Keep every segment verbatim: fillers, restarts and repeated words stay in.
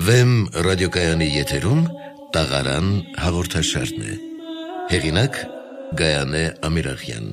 Վեմ ռադիոկայանի եթերում տաղարան հաղորդաշարն է։ Հեղինակ Գայանե Ամիրախյան։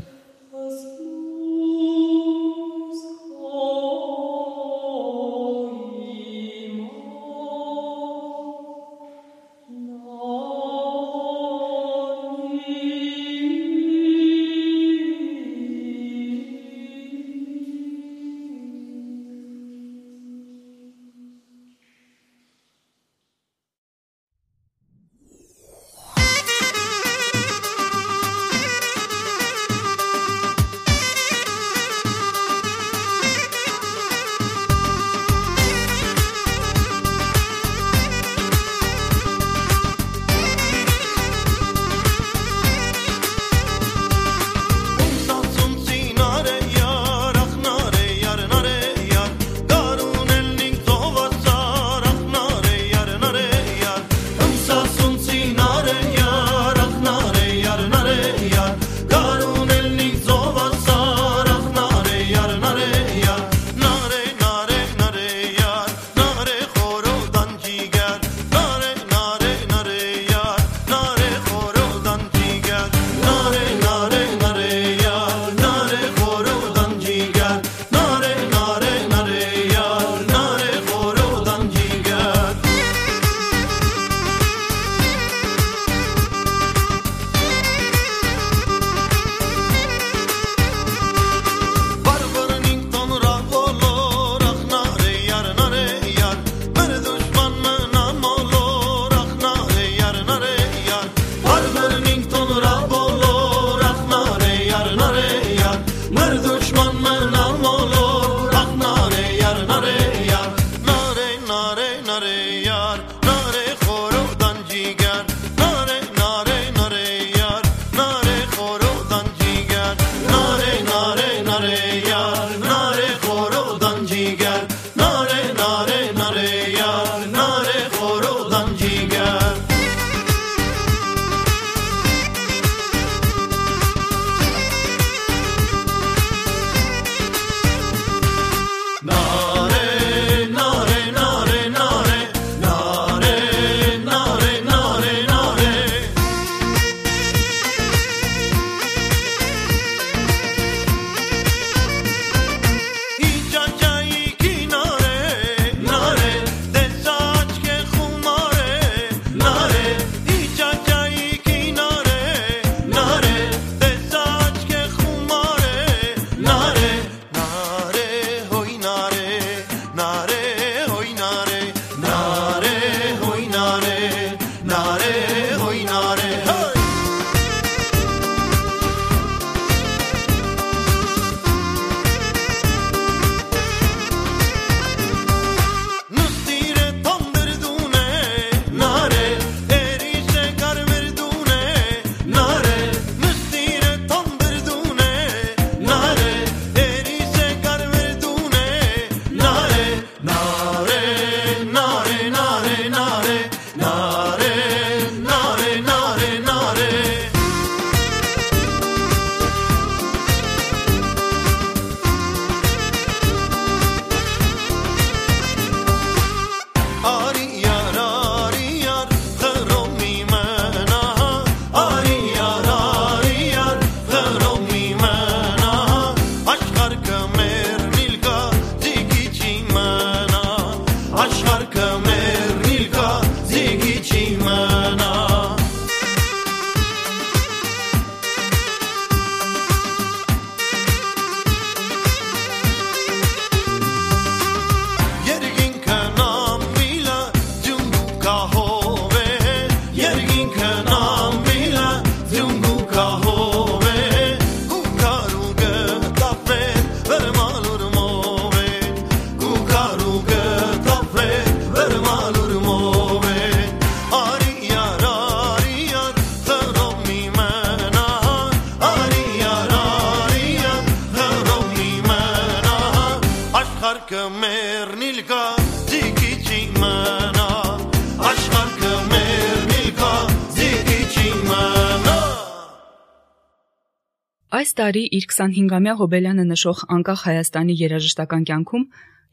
Այս տարի իր քսանհինգամյա հոբելյանը նշող անկախ Հայաստանի երաժշտական կյանքում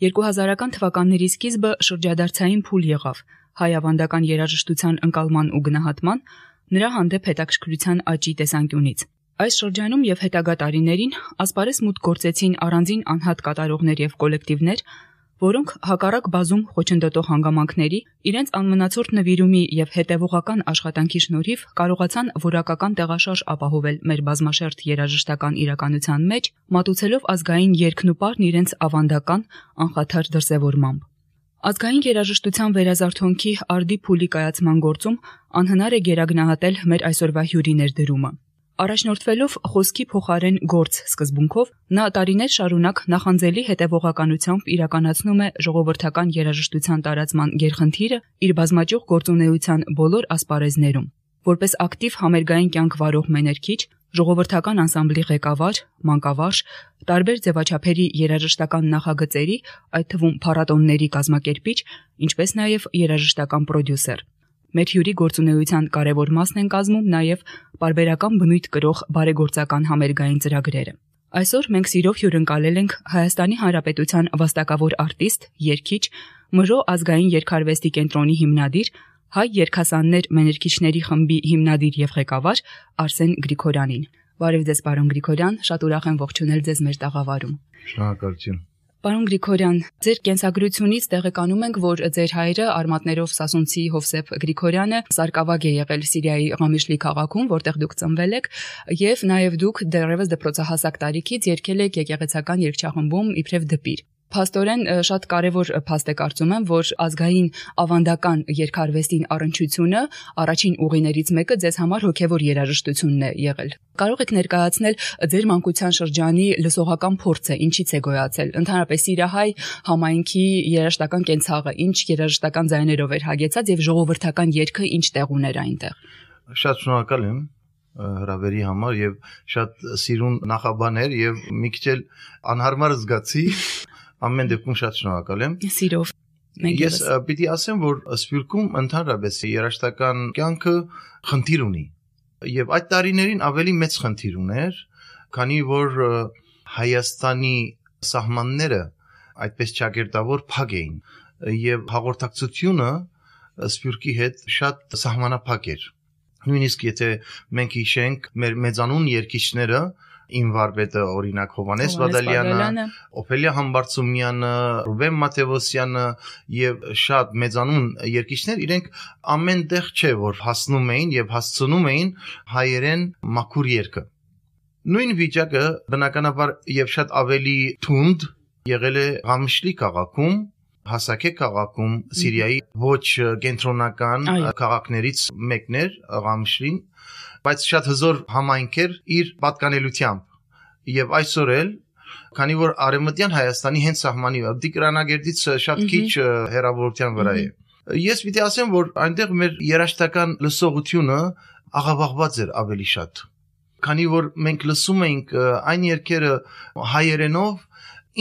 երկու հազարական թվականների սկիզբը շրջադարձային փուլ եղավ հայ ավանդական երաժշտության ընկալման ու գնահատման, նրա հանդեպ հետաքրքրության աճի տեսանկյունից։ Այս շրջանում եւ հետագա տարիներին ասպարեզ մուտք գործեցին առանձին անհատ կատարողներ եւ կոլեկտիվներ, որոնք հակառակ բազում խոչընդոտող հանգամանքների իրենց անմնացորդ նվիրումի եւ հետեւողական աշխատանքի շնորհիվ կարողացան որակական տեղաշարժ ապահովել մեր բազմաշերտ երաժշտական իրականության մեջ, մատուցելով ազգային երգն ու պարն իրենց ավանդական անխաթար դրսևորմամբ։ Ազգային երաժշտության վերազարթոնքի արդի փուլի կայացման գործում անհնար է գերագնահատել մեր այսօրվա հյուրի ներդրումը։ Առաջնորդվելով խոսքի փոխարեն գործ սկզբունքով, նա տարիներ շարունակ նախանձելի հետևողականությամբ իրականացնում է ժողովրդական երաժշտության տարածման գերխնդիրը իր բազմաճյուղ գործունեության բոլոր ասպարեզներում։ Որպես ակտիվ համերգային կյանք վարող մեներքիչ, ժողովրդական անսամբլի ղեկավար, մանկավարժ, տարբեր ձևաչափերի երաժշտական նախագծերի, այդ թվում փառատոների կազմակերպիչ, ինչպես նաև երաժշտական պրոդյուսեր։ Մեր հյուրի գործունեության կարևոր մասն են կազմում նաև պարբերական բնույթ կրող բարեգործական համերգային ծրագրերը։ Այսօր մենք սիրով հյուրընկալել ենք Հայաստանի Հանրապետության վաստակավոր արտիստ, երգիչ, Մժո ազգային երգարվեստի կենտրոնի հիմնադիր, հայ երգասաններ մեներքիչների խմբի հիմնադիր եւ ղեկավար Արսեն Գրիգորյանին։ Բարև ձեզ, պարոն Գրիգորյան, շատ ուրախ եմ ողջունել ձեզ մեր տաղավարում։ Շնորհակալություն։ Պարոն Գրիգորյան, ձեր կենսագրությունից տեղեկանում ենք, որ ձեր հայրը արմատներով սասունցի Հովսեփ Գրիգորյանը սարկավագ է եղել Սիրիայի Ղամիշլի քաղաքում, որտեղ դուք ծնվել եք, եւ նաեւ դուք դեռևս դպրոցահասակ տարիքից երգել եք եկեղեցական երգչախմբում իբրև դպիր։ Փաստորեն շատ կարևոր փաստ է կարծում եմ, որ ազգային ավանդական երգարվեստին առնչությունը առաջին ուղիներից մեկը ձեզ համար հոգևոր երաժշտությունն է եղել։ Կարող եք ներկայացնել ձեր մանկության շրջանի լսողական փորձը, ինչից է գոյացել, ընդհանրապես սիրահայ համայնքի երաժշտական կենցաղը, ինչ երաժշտական ձայներով էր հագեցած եւ ժողովրդական երգը ինչ տեղ ուներ այնտեղ։ Շատ շնորհակալ եմ հրավերի համար եւ շատ սիրուն նախաբաներ եւ մի քիչ էլ անհարմար զգացի։ Ամեն դեպքում շատ շնորհակալ եմ։ Սիրով։ Ես պիտի ասեմ, որ Սփյուռքում ընդհանրապես երաժշտական կյանքը խնդիր ունի։ Եվ այդ տարիներին ավելի մեծ խնդիր ուներ, քանի որ Հայաստանի սահմանները այդպես ճակերտավոր փակ էին եւ հաղորդակցությունը Սփյուռքի հետ շատ սահմանափակ էր։ Նույնիսկ եթե մենք հիշենք մեր մեծանուն երգիչները, Իմ վարպետը օրինակ Հովանես Բադալյանը, Օփելիա Համբարձումյանը, Ռուբեն Մատեոսյանը եւ շատ մեծանուն երգիչներ, իրենք ամենտեղ չէ որ հասնում էին եւ հասցնում էին հայերեն մաքուր երգը։ Նույն վիճակը բնականաբար եւ շատ ավելի թունդ եղել է Ղամիշլի քաղաքում, Հասակե քաղաքում, Սիրիայի ոչ կենտրոնական քաղաքներից մեկն էր Ղամիշլին, բայց շատ հզոր համայնք էր իր պատկանելությամբ եւ այսօր էլ քանի որ արևմտյան Հայաստանի հենց սահմանի Դիկրանագերդից շատ քիչ հեռավորության վրա է ես պիտի ասեմ որ այնտեղ մեր երաժշտական լսողությունը աղավաղված էր ավելի շատ քանի որ մենք լսում էինք այն երգերը հայերենով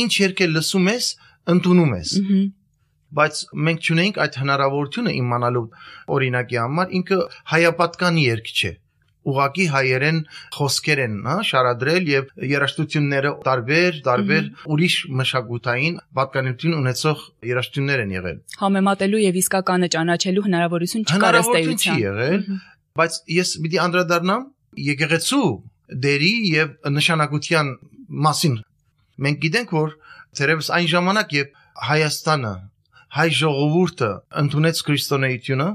ինչ երգ լսում ես ընդունում ես բայց մենք չունենք այդ հնարավորությունը իմանալու օրինակի համար ինքը հայապատկան երգ չէ ուղակի հայերեն խոսքեր են, հա, շարադրել եւ երաժշտությունները տարբեր, տարբեր ուրիշ մշակութային պատկանելություն ունեցող երաժշտություններ են եղել։ Համեմատելու եւ իսկականը ճանաչելու հնարավորություն չկար ըստ էության։ Չի եղել, բայց ես պիտի անդրադառնամ եկեղեցու դերի եւ նշանակության մասին։ Մենք գիտենք, որ թերևս այն ժամանակ, երբ Հայաստանը, հայ ժողովուրդը ընդունեց քրիստոնեությունը,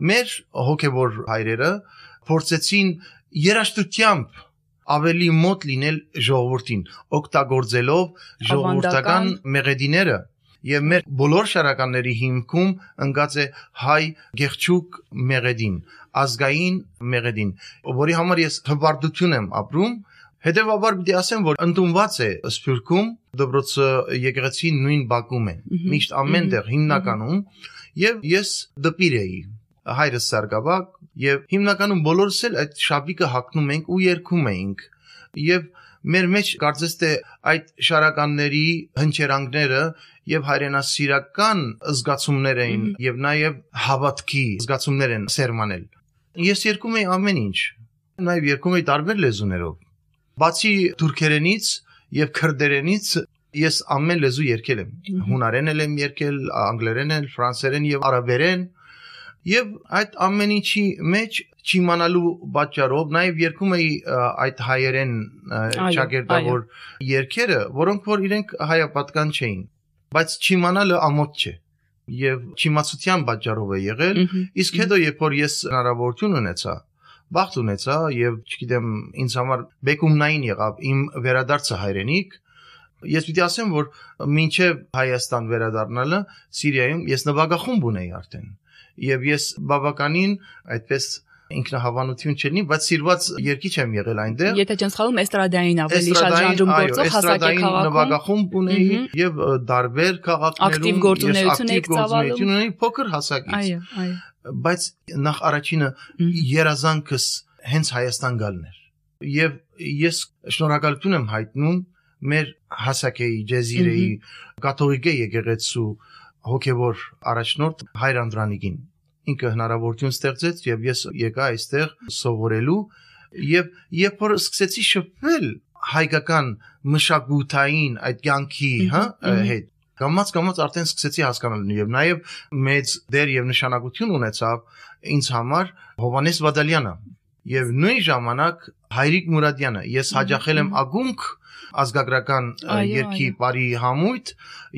մեր հոգեվոր հայրերը փորձեցին երաժշտությամբ ավելի մոտ լինել ժողովրդին, օգտագործելով ժողովրդական մեղեդիները եւ մեր բոլոր շարականների հիմքում ընկած է հայ գեղչուկ մեղեդին, ազգային մեղեդին, որի համար ես հպարտություն եմ ապրում, հետեւաբար պիտի ասեմ, որ ընդունված է Սփյուռքում դպրոցը եկեղեցին նույն բակում է, միշտ ամենտեղ հիմնականում եւ ես դպիր էի, հայրս սարգսակ եւ հիմնականում բոլորս էլ այդ շապիկը հագնում ենք ու երգում ենք եւ մեր մեջ կարծես թե այդ շարականների հնչերանգները եւ հայրենասիրական զգացումներ էին եւ նաեւ հավատքի զգացումներ են սերմանել ես երգում էի ամեն ինչ նաեւ երգում էի տարբեր լեզուներով բացի թուրքերենից եւ քրդերենից Ես ամեն լեզու երգել եմ, հունարեն եմ երգել, անգլերեն եմ, ֆրանսերեն եւ արաբերեն, եւ այդ ամեն ինչի մեջ չիմանալու պատճառով նաեւ երգում էի այդ հայերեն շագերտավոր երգերը, որոնք որ իրենք հայապատկան չէին, բայց չիմանալը ամոթ չէ եւ չիմացության պատճառով է եղել, իսկ հետո երբ որ ես հնարավորություն ունեցա, բախտ ունեցա եւ չգիտեմ ինձ համար բեկումնային եղավ իմ վերադարձը հայրենիք, ես պիտի ասեմ, որ մինչև Հայաստան վերադառնալը Սիրիայում ես նվագախումբ ունեի արդեն եւ ես բավականին այդպես ինքնահավանություն չունի, բայց սիրված երգիչ եմ եղել այնտեղ։ Եթե չեմ սխալվում, էստրադային ավելի շատ ժանրում գործող հասակե քաղաքում նվագախումբ ունեի եւ դարբեր քաղաքներում գործունեություն եք ծավալում ունեի փոքր հասակից։ Այո, այո։ Բայց նախ առաջինը երազանքս հենց Հայաստան գալն էր եւ ես շնորհակալություն եմ հայտնում մեր հասակեի ջեզիրեի կաթողիկե եկեղեցու հոգևոր առաջնորդ Հայր Անդրանիկին ինքը հնարավորություն ստեղծեց եւ ես եկա այստեղ սովորելու եւ երբ որ սկսեցի շփվել հայկական մշակութային այդ կյանքի հա հետ կամած կամած արդեն սկսեցի հասկանալ եւ նաեւ մեծ դեր եւ նշանակություն ունեցավ ինձ համար Հովհաննես Բադալյանը եւ նույն ժամանակ Հայրիկ Մուրադյանը ես հաջախել եմ ակումբ ազգագրական երգի բարի համույթ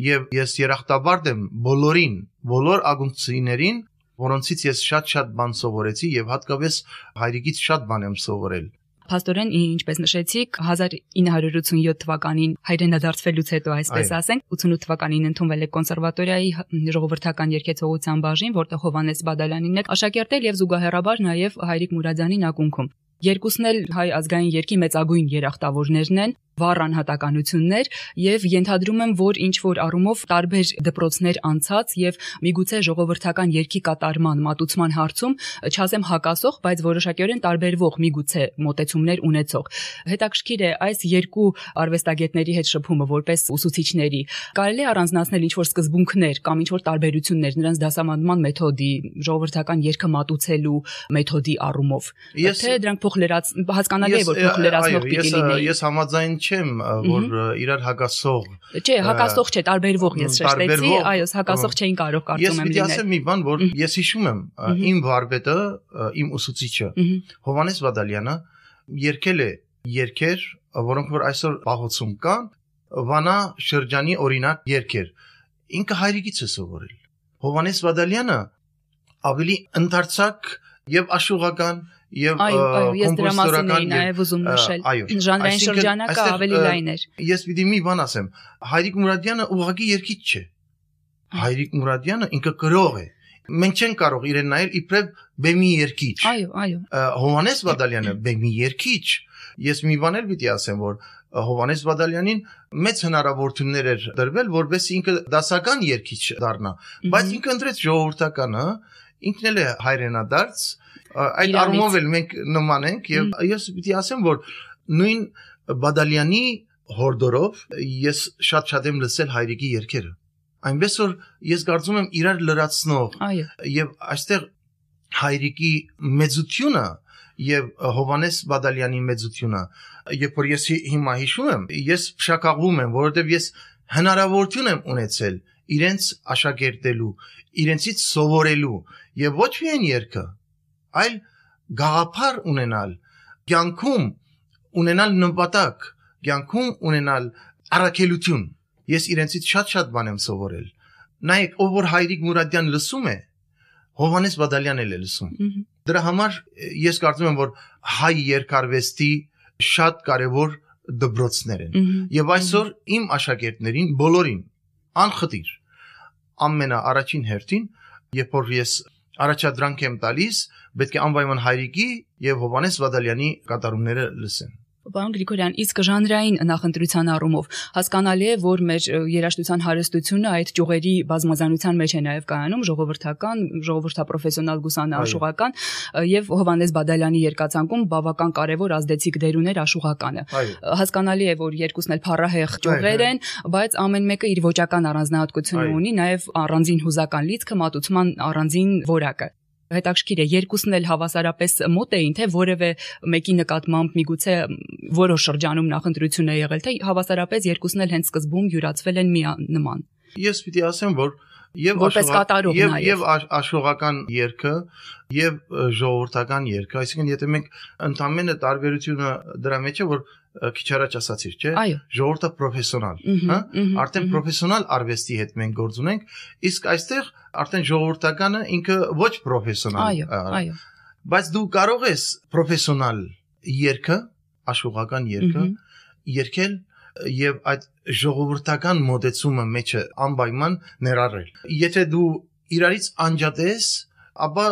եւ ես երախտաբարդ եմ բոլորին բոլոր ակումբցիներին որոնցից ես շատ-շատ բան սովորեցի եւ հատկապես հայրիկից շատ բան եմ սովորել։ Փաստորեն, ինչպես նշեցիք, հազար ինը հարյուր ութսունյոթ թվականին հայրենադարձվելուց հետո, այսպես ասենք, ութսունութ թվականին ընդունվել եք կոնսերվատորիայի ժողովրդական երգեցողության բաժին, որտեղ Հովհաննես Բադալյանին եք աշակերտել եւ զուգահեռաբար նաեւ Հայրիկ Մուրադյանին ակունքում։ Երկուսն էլ հայ ազգային երգի մեծագույն երախտավորներն են, վառ անհատականություններ եւ ենթադրում եմ, որ ինչ որ առումով տարբեր դպրոցներ անցած եւ միգուցե ժողովրդական երգի կատարման մատուցման հարցում չասեմ հակասող, բայց որոշակիորեն տարբերվող միգուցե մոտեցումներ ունեցող։ Հետաքրքիր է այս երկու արվեստագետների հետ շփումը որպես ուսուցիչների։ Կարելի է առանձնացնել ինչ որ սկզբունքներ կամ ինչ որ տարբերություններ նրանց դասավանդման մեթոդի, ժողովրդական երգը մատուցելու մեթոդի առումով։ Թե դրանք փոխլերած հասկանալի է, որ փոխլերացնող պիտի լինեին։ Ես համաձայն չեմ, որ իրար հակասող։ Չէ, հակասող չէ, տարբերվող ես շեշտեցի, այո, հակասող չէին կարող կարծում եմ լինել։ Ես պիտի ասեմ մի բան, որ ես հիշում եմ, իմ վարպետը, իմ ուսուցիչը, Հովհաննես Բադալյանը երգել է երգեր, որոնք որ այսօր պահոցում կան, Վանա շրջանի օրինակ երգեր։ Ինքը հայրիկից է սովորել։ Հովհաննես Բադալյանը ավելի ընդարձակ եւ աշխուղական եւ կոմպոզիտորական նաեւ ուզում նշել ժանրային շրջանակը ավելի լայն էր։ Ես պիտի մի բան ասեմ, Հայրիկ Մուրադյանը ուղղակի երգիչ չէ։ Հայրիկ Մուրադյանը ինքը գրող է։ Մենք չենք կարող իրեն նայել իբրև բեմի երգիչ։ Այո, այո։ Հովհաննես Բադալյանը բեմի երգիչ։ Ես մի բան էլ պիտի ասեմ, որ Հովհաննես Բադալյանին մեծ հնարավորություններ էր դրվել, որովհետեւ ինքը դասական երգիչ դառնա, բայց ինքը ընտրեց ժողովրդականը, ինքն էլ է հայրենադարձ, այդ առումով էլ մենք նման ենք եւ ես պիտի ասեմ, որ նույն Բադալյանի հորդորով ես շատ-շատ եմ լսել հայրիկի երգերը։ Այնպես որ ես կարծում եմ իրար լրացնող եւ այստեղ հայրիկի մեծությունը եւ Հովհաննես Բադալյանի մեծությունը, երբ որ ես հիմա հիշում եմ, ես փշակաղվում եմ, որովհետեւ ես հնարավորություն եմ ունեցել իրենց աշակերտելու, իրենցից սովորելու եւ ոչ միայն երգը, այլ գաղափար ունենալ, կյանքում ունենալ նպատակ, կյանքում ունենալ առաքելություն։ Ես իրենցից շատ-շատ բան եմ սովորել։ Նայեք, ով որ Հայրիկ Մուրադյան լսում է, Հովհաննես Բադալյանն էլ է լսում։ Դրա համար ես կարծում եմ, որ հայ երգարվեստի շատ կարևոր դպրոցներ են։ Եվ այսօր իմ աշակերտներին բոլորին անխտիր ամենաառաջին հերթին, երբ որ ես առաջադրանք եմ տալիս, պետք է անպայման Հայրիկի եւ Հովհաննես Բադալյանի կատարումները լսեն։ Պարոն Գրիգորյան, իսկ ժանրային նախընտրության առումով հասկանալի է, որ մեր երաժշտության հարստությունը այդ ճյուղերի բազմազանության մեջ է նաև կայանում, ժողովրդական, ժողովրդապրոֆեսիոնալ գուսանաշուղական եւ Հովհաննես Բադալյանի երկացանկում բավական կարեւոր ազդեցիկ դեր ուներ աշուղականը։ Հասկանալի է, որ երկուսն էլ փառահեղ ճյուղեր են, բայց ամեն մեկը իր ոճական առանձնահատկությունը ունի, նաև առանձին հուզական լիցքը, մատուցման առանձին որակը։ Հետաքրքիր է, երկուսն էլ հավասարապես մոտ էին, թե որևէ մեկի նկատմամբ միգուցե որոշ շրջանում նախընտրություն է եղել, թե հավասարապես երկուսն էլ հենց սկզբում յուրացվել են միանման։ Ես պիտի ասեմ, որ եւ եւ եւ աշխողական երգը եւ ժողովրդական երգը, այսինքն եթե մենք ընդամենը տարբերությունը դրա մեջ է, որ քիչ առաջ ասացիր, չէ՞, ժողովուրդը պրոֆեսիոնալ, հա, արդեն պրոֆեսիոնալ արվեստի հետ մենք գործ ունենք, իսկ այստեղ արդեն ժողովրդականը ինքը ոչ պրոֆեսիոնալ։ Այո, այո։ Բայց դու կարող ես պրոֆեսիոնալ երգը, աշխողական երգը երգել եւ այդ ժողովրդական մոդեցումը մեջը անպայման ներառել։ Եթե դու իրարից անջատես, ապա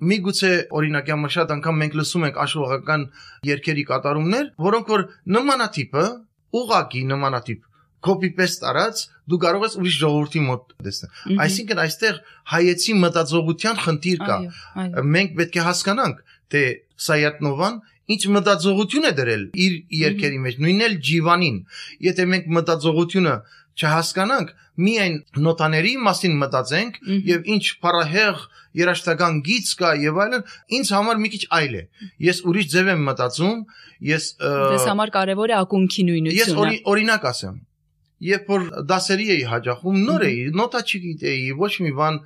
միգուցե օրինակի համար շատ անգամ մենք լսում ենք աշխողական երգերի կատարումներ, որոնք որ նմանատիպը, ուղղակի նմանատիպ copy-paste արած, դու կարող ես ուրիշ ժողովրդի մոտ տեսնել։ Այսինքն այստեղ հայեցի մտածողության խնդիր կա։ Մենք պետք է հասկանանք, թե Սայաթ-Նովան ինչ մտածողություն է դրել իր երգերի մեջ, նույնն էլ Ջիվանին։ Եթե մենք մտածողությունը չհասկանանք, միայն նոտաների մասին մտածենք եւ ինչ փառահեղ երաժշտական գիծ կա եւ այլն, ինձ համար մի քիչ այլ է։ Ես ուրիշ ձև եմ մտածում, ես Դες համար կարևոր է ակունքի նույնությունը։ Ես օրինակ ասեմ, երբ որ դասերի էի հաճախում, նոր էի, նոտա չգիտեի, ոչ մի բան,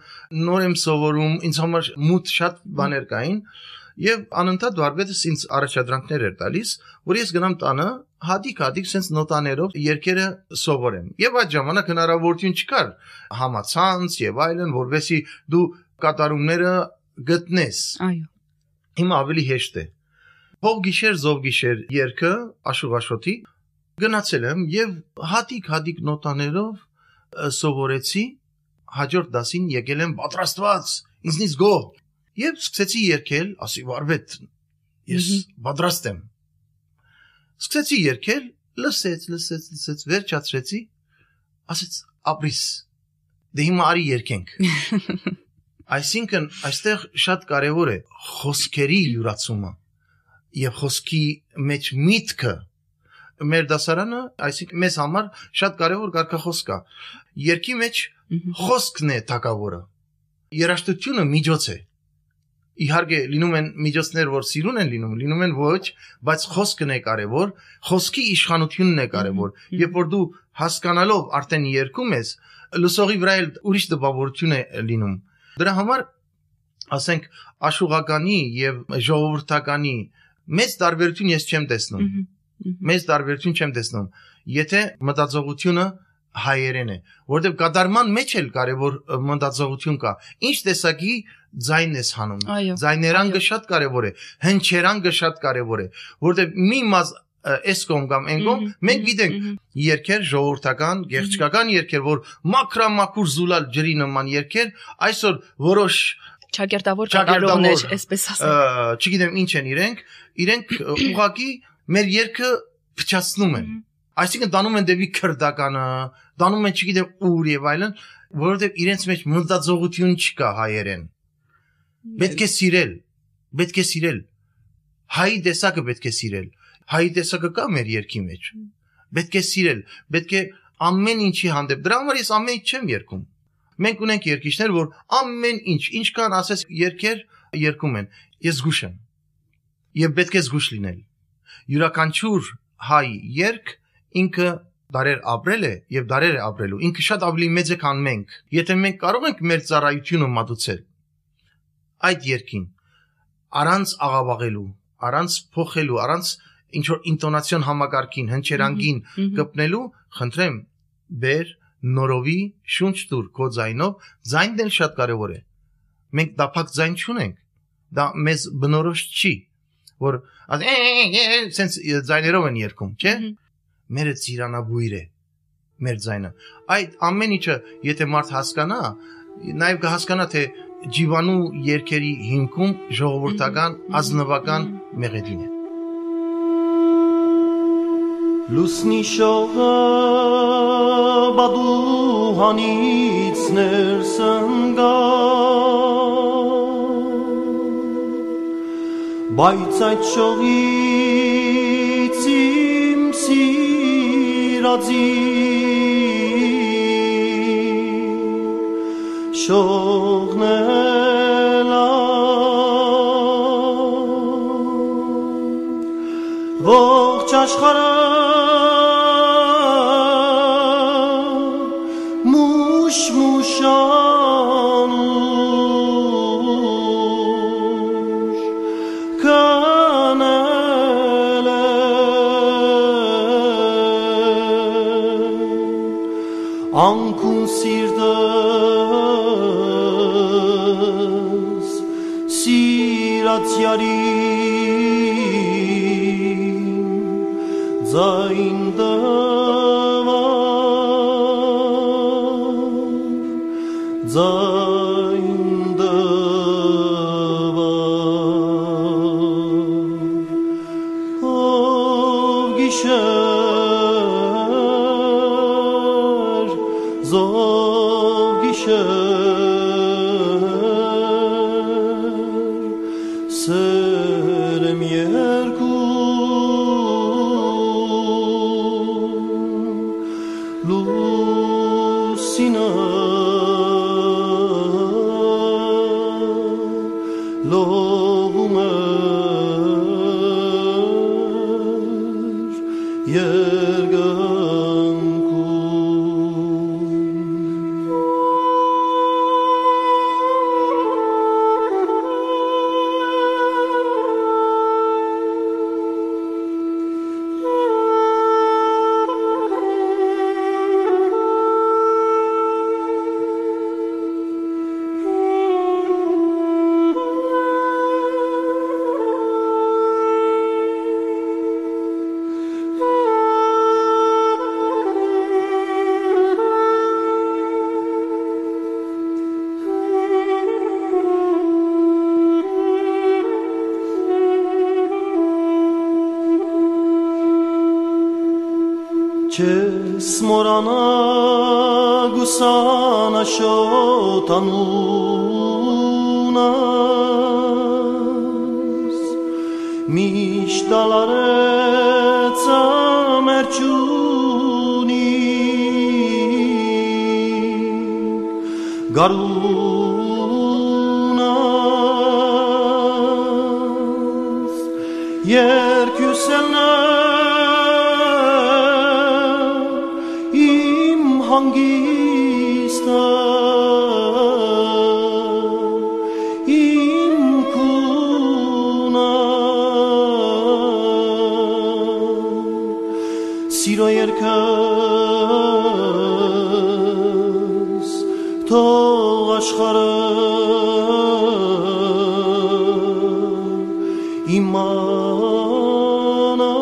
նոր եմ սովորում, ինձ համար մութ շատ բաներ կային։ Եվ անընդհատ վարպետս ինձ առաջադրանքներ էր տալիս, որ ես գնամ տանը, հատիկ-հատիկ sense նոտաներով երգերը սովորեմ։ Եվ այդ ժամանակ հնարավորություն չկար համացանց եւ այլն, որովհետեւ դու կատարումները գտնես։ Այո։ Հիմա ավելի հեշտ է։ Փող գիշեր, զով գիշեր երգը Աշուղաշոթի գնացել եմ եւ հատիկ-հատիկ նոտաներով սովորեցի, հաջորդ դասին եկել եմ պատրաստված, ինձնից գոհ։ Եվ սկսեցի երգել, ասի վարպետ, ես պատրաստ եմ։ Սկսեցի երգել, լսեց, լսեց, լսեց, վերջացրեցի, ասեց ապրիս, դե հիմա արի երգենք։ Այսինքն այստեղ շատ կարևոր է խոսքերի յուրացումը եւ խոսքի մեջ միտքը։ Մեր դասարանը, այսինքն մեզ համար շատ կարևոր կարգախոս կա։ Երգի մեջ խոսքն է թակավորը։ Երաժշտությունը միջոց է։ Իհարկե լինում են միջոցներ, որ սիրուն են լինում, լինում են ոչ, բայց խոսքն է կարևոր, խոսքի իշխանությունն է կարևոր։ Երբ որ դու հասկանալով արդեն երգում ես, լսողի վրա էլ ուրիշ տպավորություն է լինում։ Դրա համար, ասենք, աշխուղականի եւ ժողովրդականի մեծ տարբերություն ես չեմ տեսնում։ Մեծ տարբերություն չեմ տեսնում։ Եթե մտածողությունը հայերեն է, որտեղ կատարման մեջ էլ կարևոր մտածողություն կա։ Ինչ տեսակի ձայն ես հանում։ Ձայներանգը շատ կարևոր է, հնչերանգը շատ կարևոր է, որտեղ մի մազ այս կողմ կամ այն կողմ մենք գիտենք երգեր ժողովրդական, գեղեցկական երգեր, որ մաքրամաքուր զուլալ ջրի նման երգեր, այսօր որոշ ճակերտավոր կատարողներ, այսպես ասեմ։ Չգիտեմ ինչ են իրենք, իրենք ուղղակի մեր երգը փչացնում են։ Այսինքն դանում են դեպի քրդականը, դանում են չգիտեմ ուր եւ այլն, որովհետեւ իրենց մեջ մտածողություն չկա հայերեն։ Պետք է սիրել, պետք է սիրել։ Հայի տեսակը պետք է սիրել։ Հայի տեսակը կա մեր երգի մեջ։ Պետք է սիրել, պետք է ամեն ինչի հանդեպ։ Դրա համար ես ամեն ինչ չեմ երգում։ Մենք ունենք երգիչներ, որ ամեն ինչ, ինչքան ասես երգեր երգում են։ Ես զգուշ եմ։ Եվ պետք է զգուշ լինել։ Յուրաքանչյուր հայ երգ ինքը դարեր ապրել է եւ դարեր է ապրելու։ Ինքը շատ ավելի մեծ է, քան մենք։ Եթե մենք կարող ենք մեր ծառայությունը մատուցել այդ երգին, առանց աղավաղելու, առանց փոխելու, առանց ինչ որ ինտոնացիոն համակարգին, հնչերանգին կպնելու, խնդրեմ, բեր նորովի շունչ տուր քո ձայնով, ձայնն էլ շատ կարևոր է։ Մենք դափակ ձայն չունենք։ Դա մեզ բնորոշ չի, որ sense ձայներով են երգում, չէ՞։ Մերը ծիրանաբույր է մեր ձայնը։ Այդ ամեն ինչը, եթե մարդ հասկանա, նաև կհասկանա, թե ջիվանու երգերի հիմքում ժողովրդական ազնվական մեղեդին է։ Լուսնի շողը բադուհանից ներս ընկա, բայց այդ շողից իմ սիրածի շողն էլ աշխարհը մուշ մուշանուշ կանել է անկուն սիրտս սիրած յարին ձայն դվար ձայն դվար ով գիշեր զով գիշեր սերեմ երկու լուսինը լողում էր երկնքում Չես մորանա գուսանաշոտ անունս միշտ ալարեց ամերջունի գարունս երկյուսելնը հանգիստը իմ քունը սիրո երկս թող աշխարհը իմանա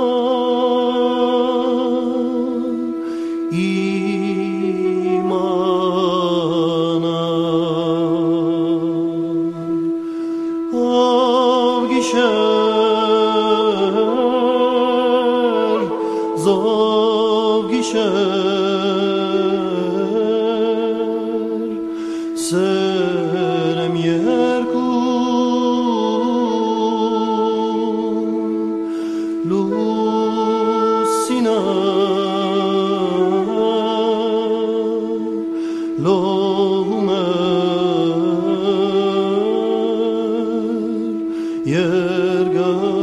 զով գիշեր սերեմ երկու լուսինը լողում էր երկնքում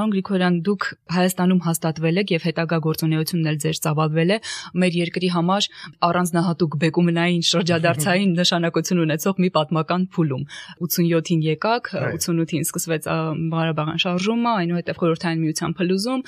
Պարոն Գրիգորյան, դուք Հայաստանում հաստատվել եք եւ հետագա գործունեությունն էլ ձեր ծավալվել է մեր երկրի համար առանձնահատուկ բեկումնային շրջադարձային նշանակություն ունեցող մի պատմական փուլում։ ութսունյոթին եկաք, ութսունութին սկսվեց Ղարաբաղյան շարժումը, այնուհետև Խորհրդային Միության փլուզում,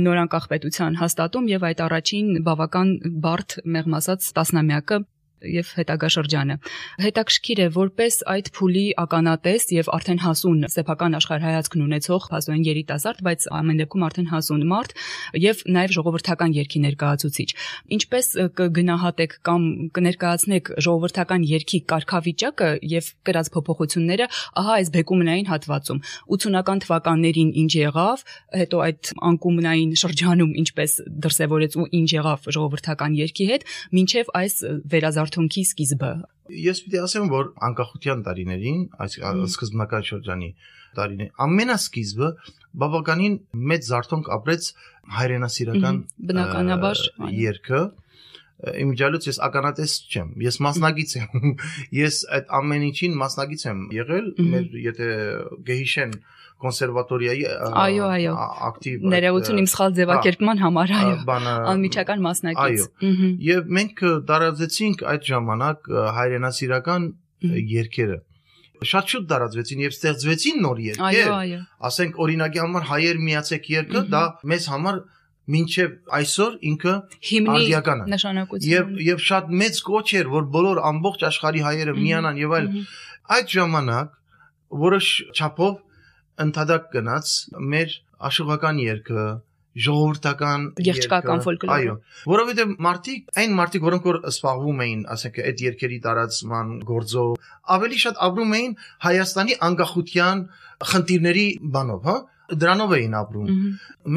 նորանկախ պետության հաստատում եւ այդ առաջին բավական բարդ մեղմ ասած տասնամյակը եւ հետագա շրջանը։ Հետաքրքիր է, որպես այդ փուլի ականատես եւ արդեն հասուն սեփական աշխարհայացքն ունեցող փաստորեն երիտասարդ, բայց ամեն դեպքում արդեն հասուն մարդ եւ նաեւ ժողովրդական երգի ներկայացուցիչ։ Ինչպես կգնահատեք կամ կներկայացնեք ժողովրդական երգի կարգավիճակը եւ կրած փոփոխությունները ահա այս բեկումնային հատվածում։ ութսունական թվականներին ինչ եղավ, հետո այդ անկումնային շրջանում ինչպես դրսևորեց ու ինչ եղավ ժողովրդական երգի հետ, մինչեւ այս վերազարթոնքի սկիզբը։ Ես պիտի ասեմ, որ անկախության տարիներին, այս սկզբնական շրջանի տարիներին, ամենասկիզբը բավականին մեծ զարթոնք ապրեց հայրենասիրական բնականաբար երգը։ Իմիջիալից ես ականատես չեմ, ես մասնագիծ եմ, ես այդ ամեն ինչին մասնագիծ եմ եղել, մեր եթե գեհիշեն կոնսերվատորիայի այո, այո, ակտիվ ներողություն իմ սխալ ձևակերպման համար, այո, անմիջական մասնակից։ Եվ մենք տարածեցինք այդ ժամանակ հայրենասիրական երգերը։ Շատ շուտ տարածվեցին եւ ստեղծվեցին նոր երգեր։ Ասենք օրինակի համար հայեր միացեք երգը, դա մեզ համար մինչև այսօր ինքը արդիական է։ Եվ եւ շատ մեծ կոչ էր, որ բոլոր ամբողջ աշխարհի հայերը միանան եւ այլ։ Այդ ժամանակ որոշ չափով ընդհանրակ գնաց մեր աշխուղական երգը, ժողովրդական երգչական ֆոլկլորը։ Այո, որովհետեւ մարդիկ, այն մարդիկ, որոնք որ սպառվում էին, ասենք այդ երգերի տարածման գործով, ավելի շատ ապրում էին Հայաստանի անկախության խնդիրների բանով, հա, դրանով էին ապրում։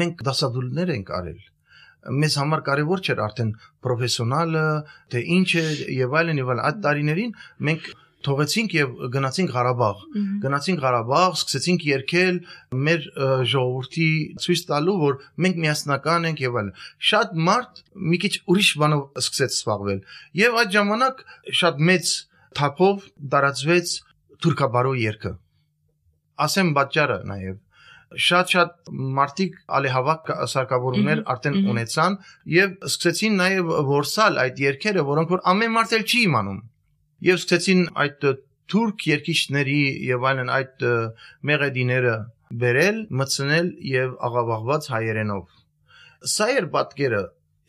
Մենք դասադուլներ ենք արել։ Մեզ համար կարևոր չէր արդեն պրոֆեսիոնալը, թե ինչ է եւ այլն եւ այլն։ Այդ տարիներին մենք թողեցինք եւ գնացինք Ղարաբաղ։ Գնացինք Ղարաբաղ, սկսեցինք երգել մեր ժողովրդի ցույց տալու, որ մենք միասնական ենք եւ այլն։ Շատ մարդ մի քիչ ուրիշ բանով սկսեց զբաղվել։ Եվ այդ ժամանակ շատ մեծ թափով տարածվեց թուրքաբարո երգը։ Ասեմ պատճառը նաեւ շատ-շատ մարդիկ ալեհավաք սարքավորումներ արդեն ունեցան եւ սկսեցին նաեւ որսալ այդ երգերը, որոնք որ ամեն մարդ էլ չի իմանում։ Եվ սկսեցին այդ թուրք երգիչների եւ այլն այդ մեղեդիները բերել, մտցնել եւ աղավաղված հայերենով։ Սա էր պատկերը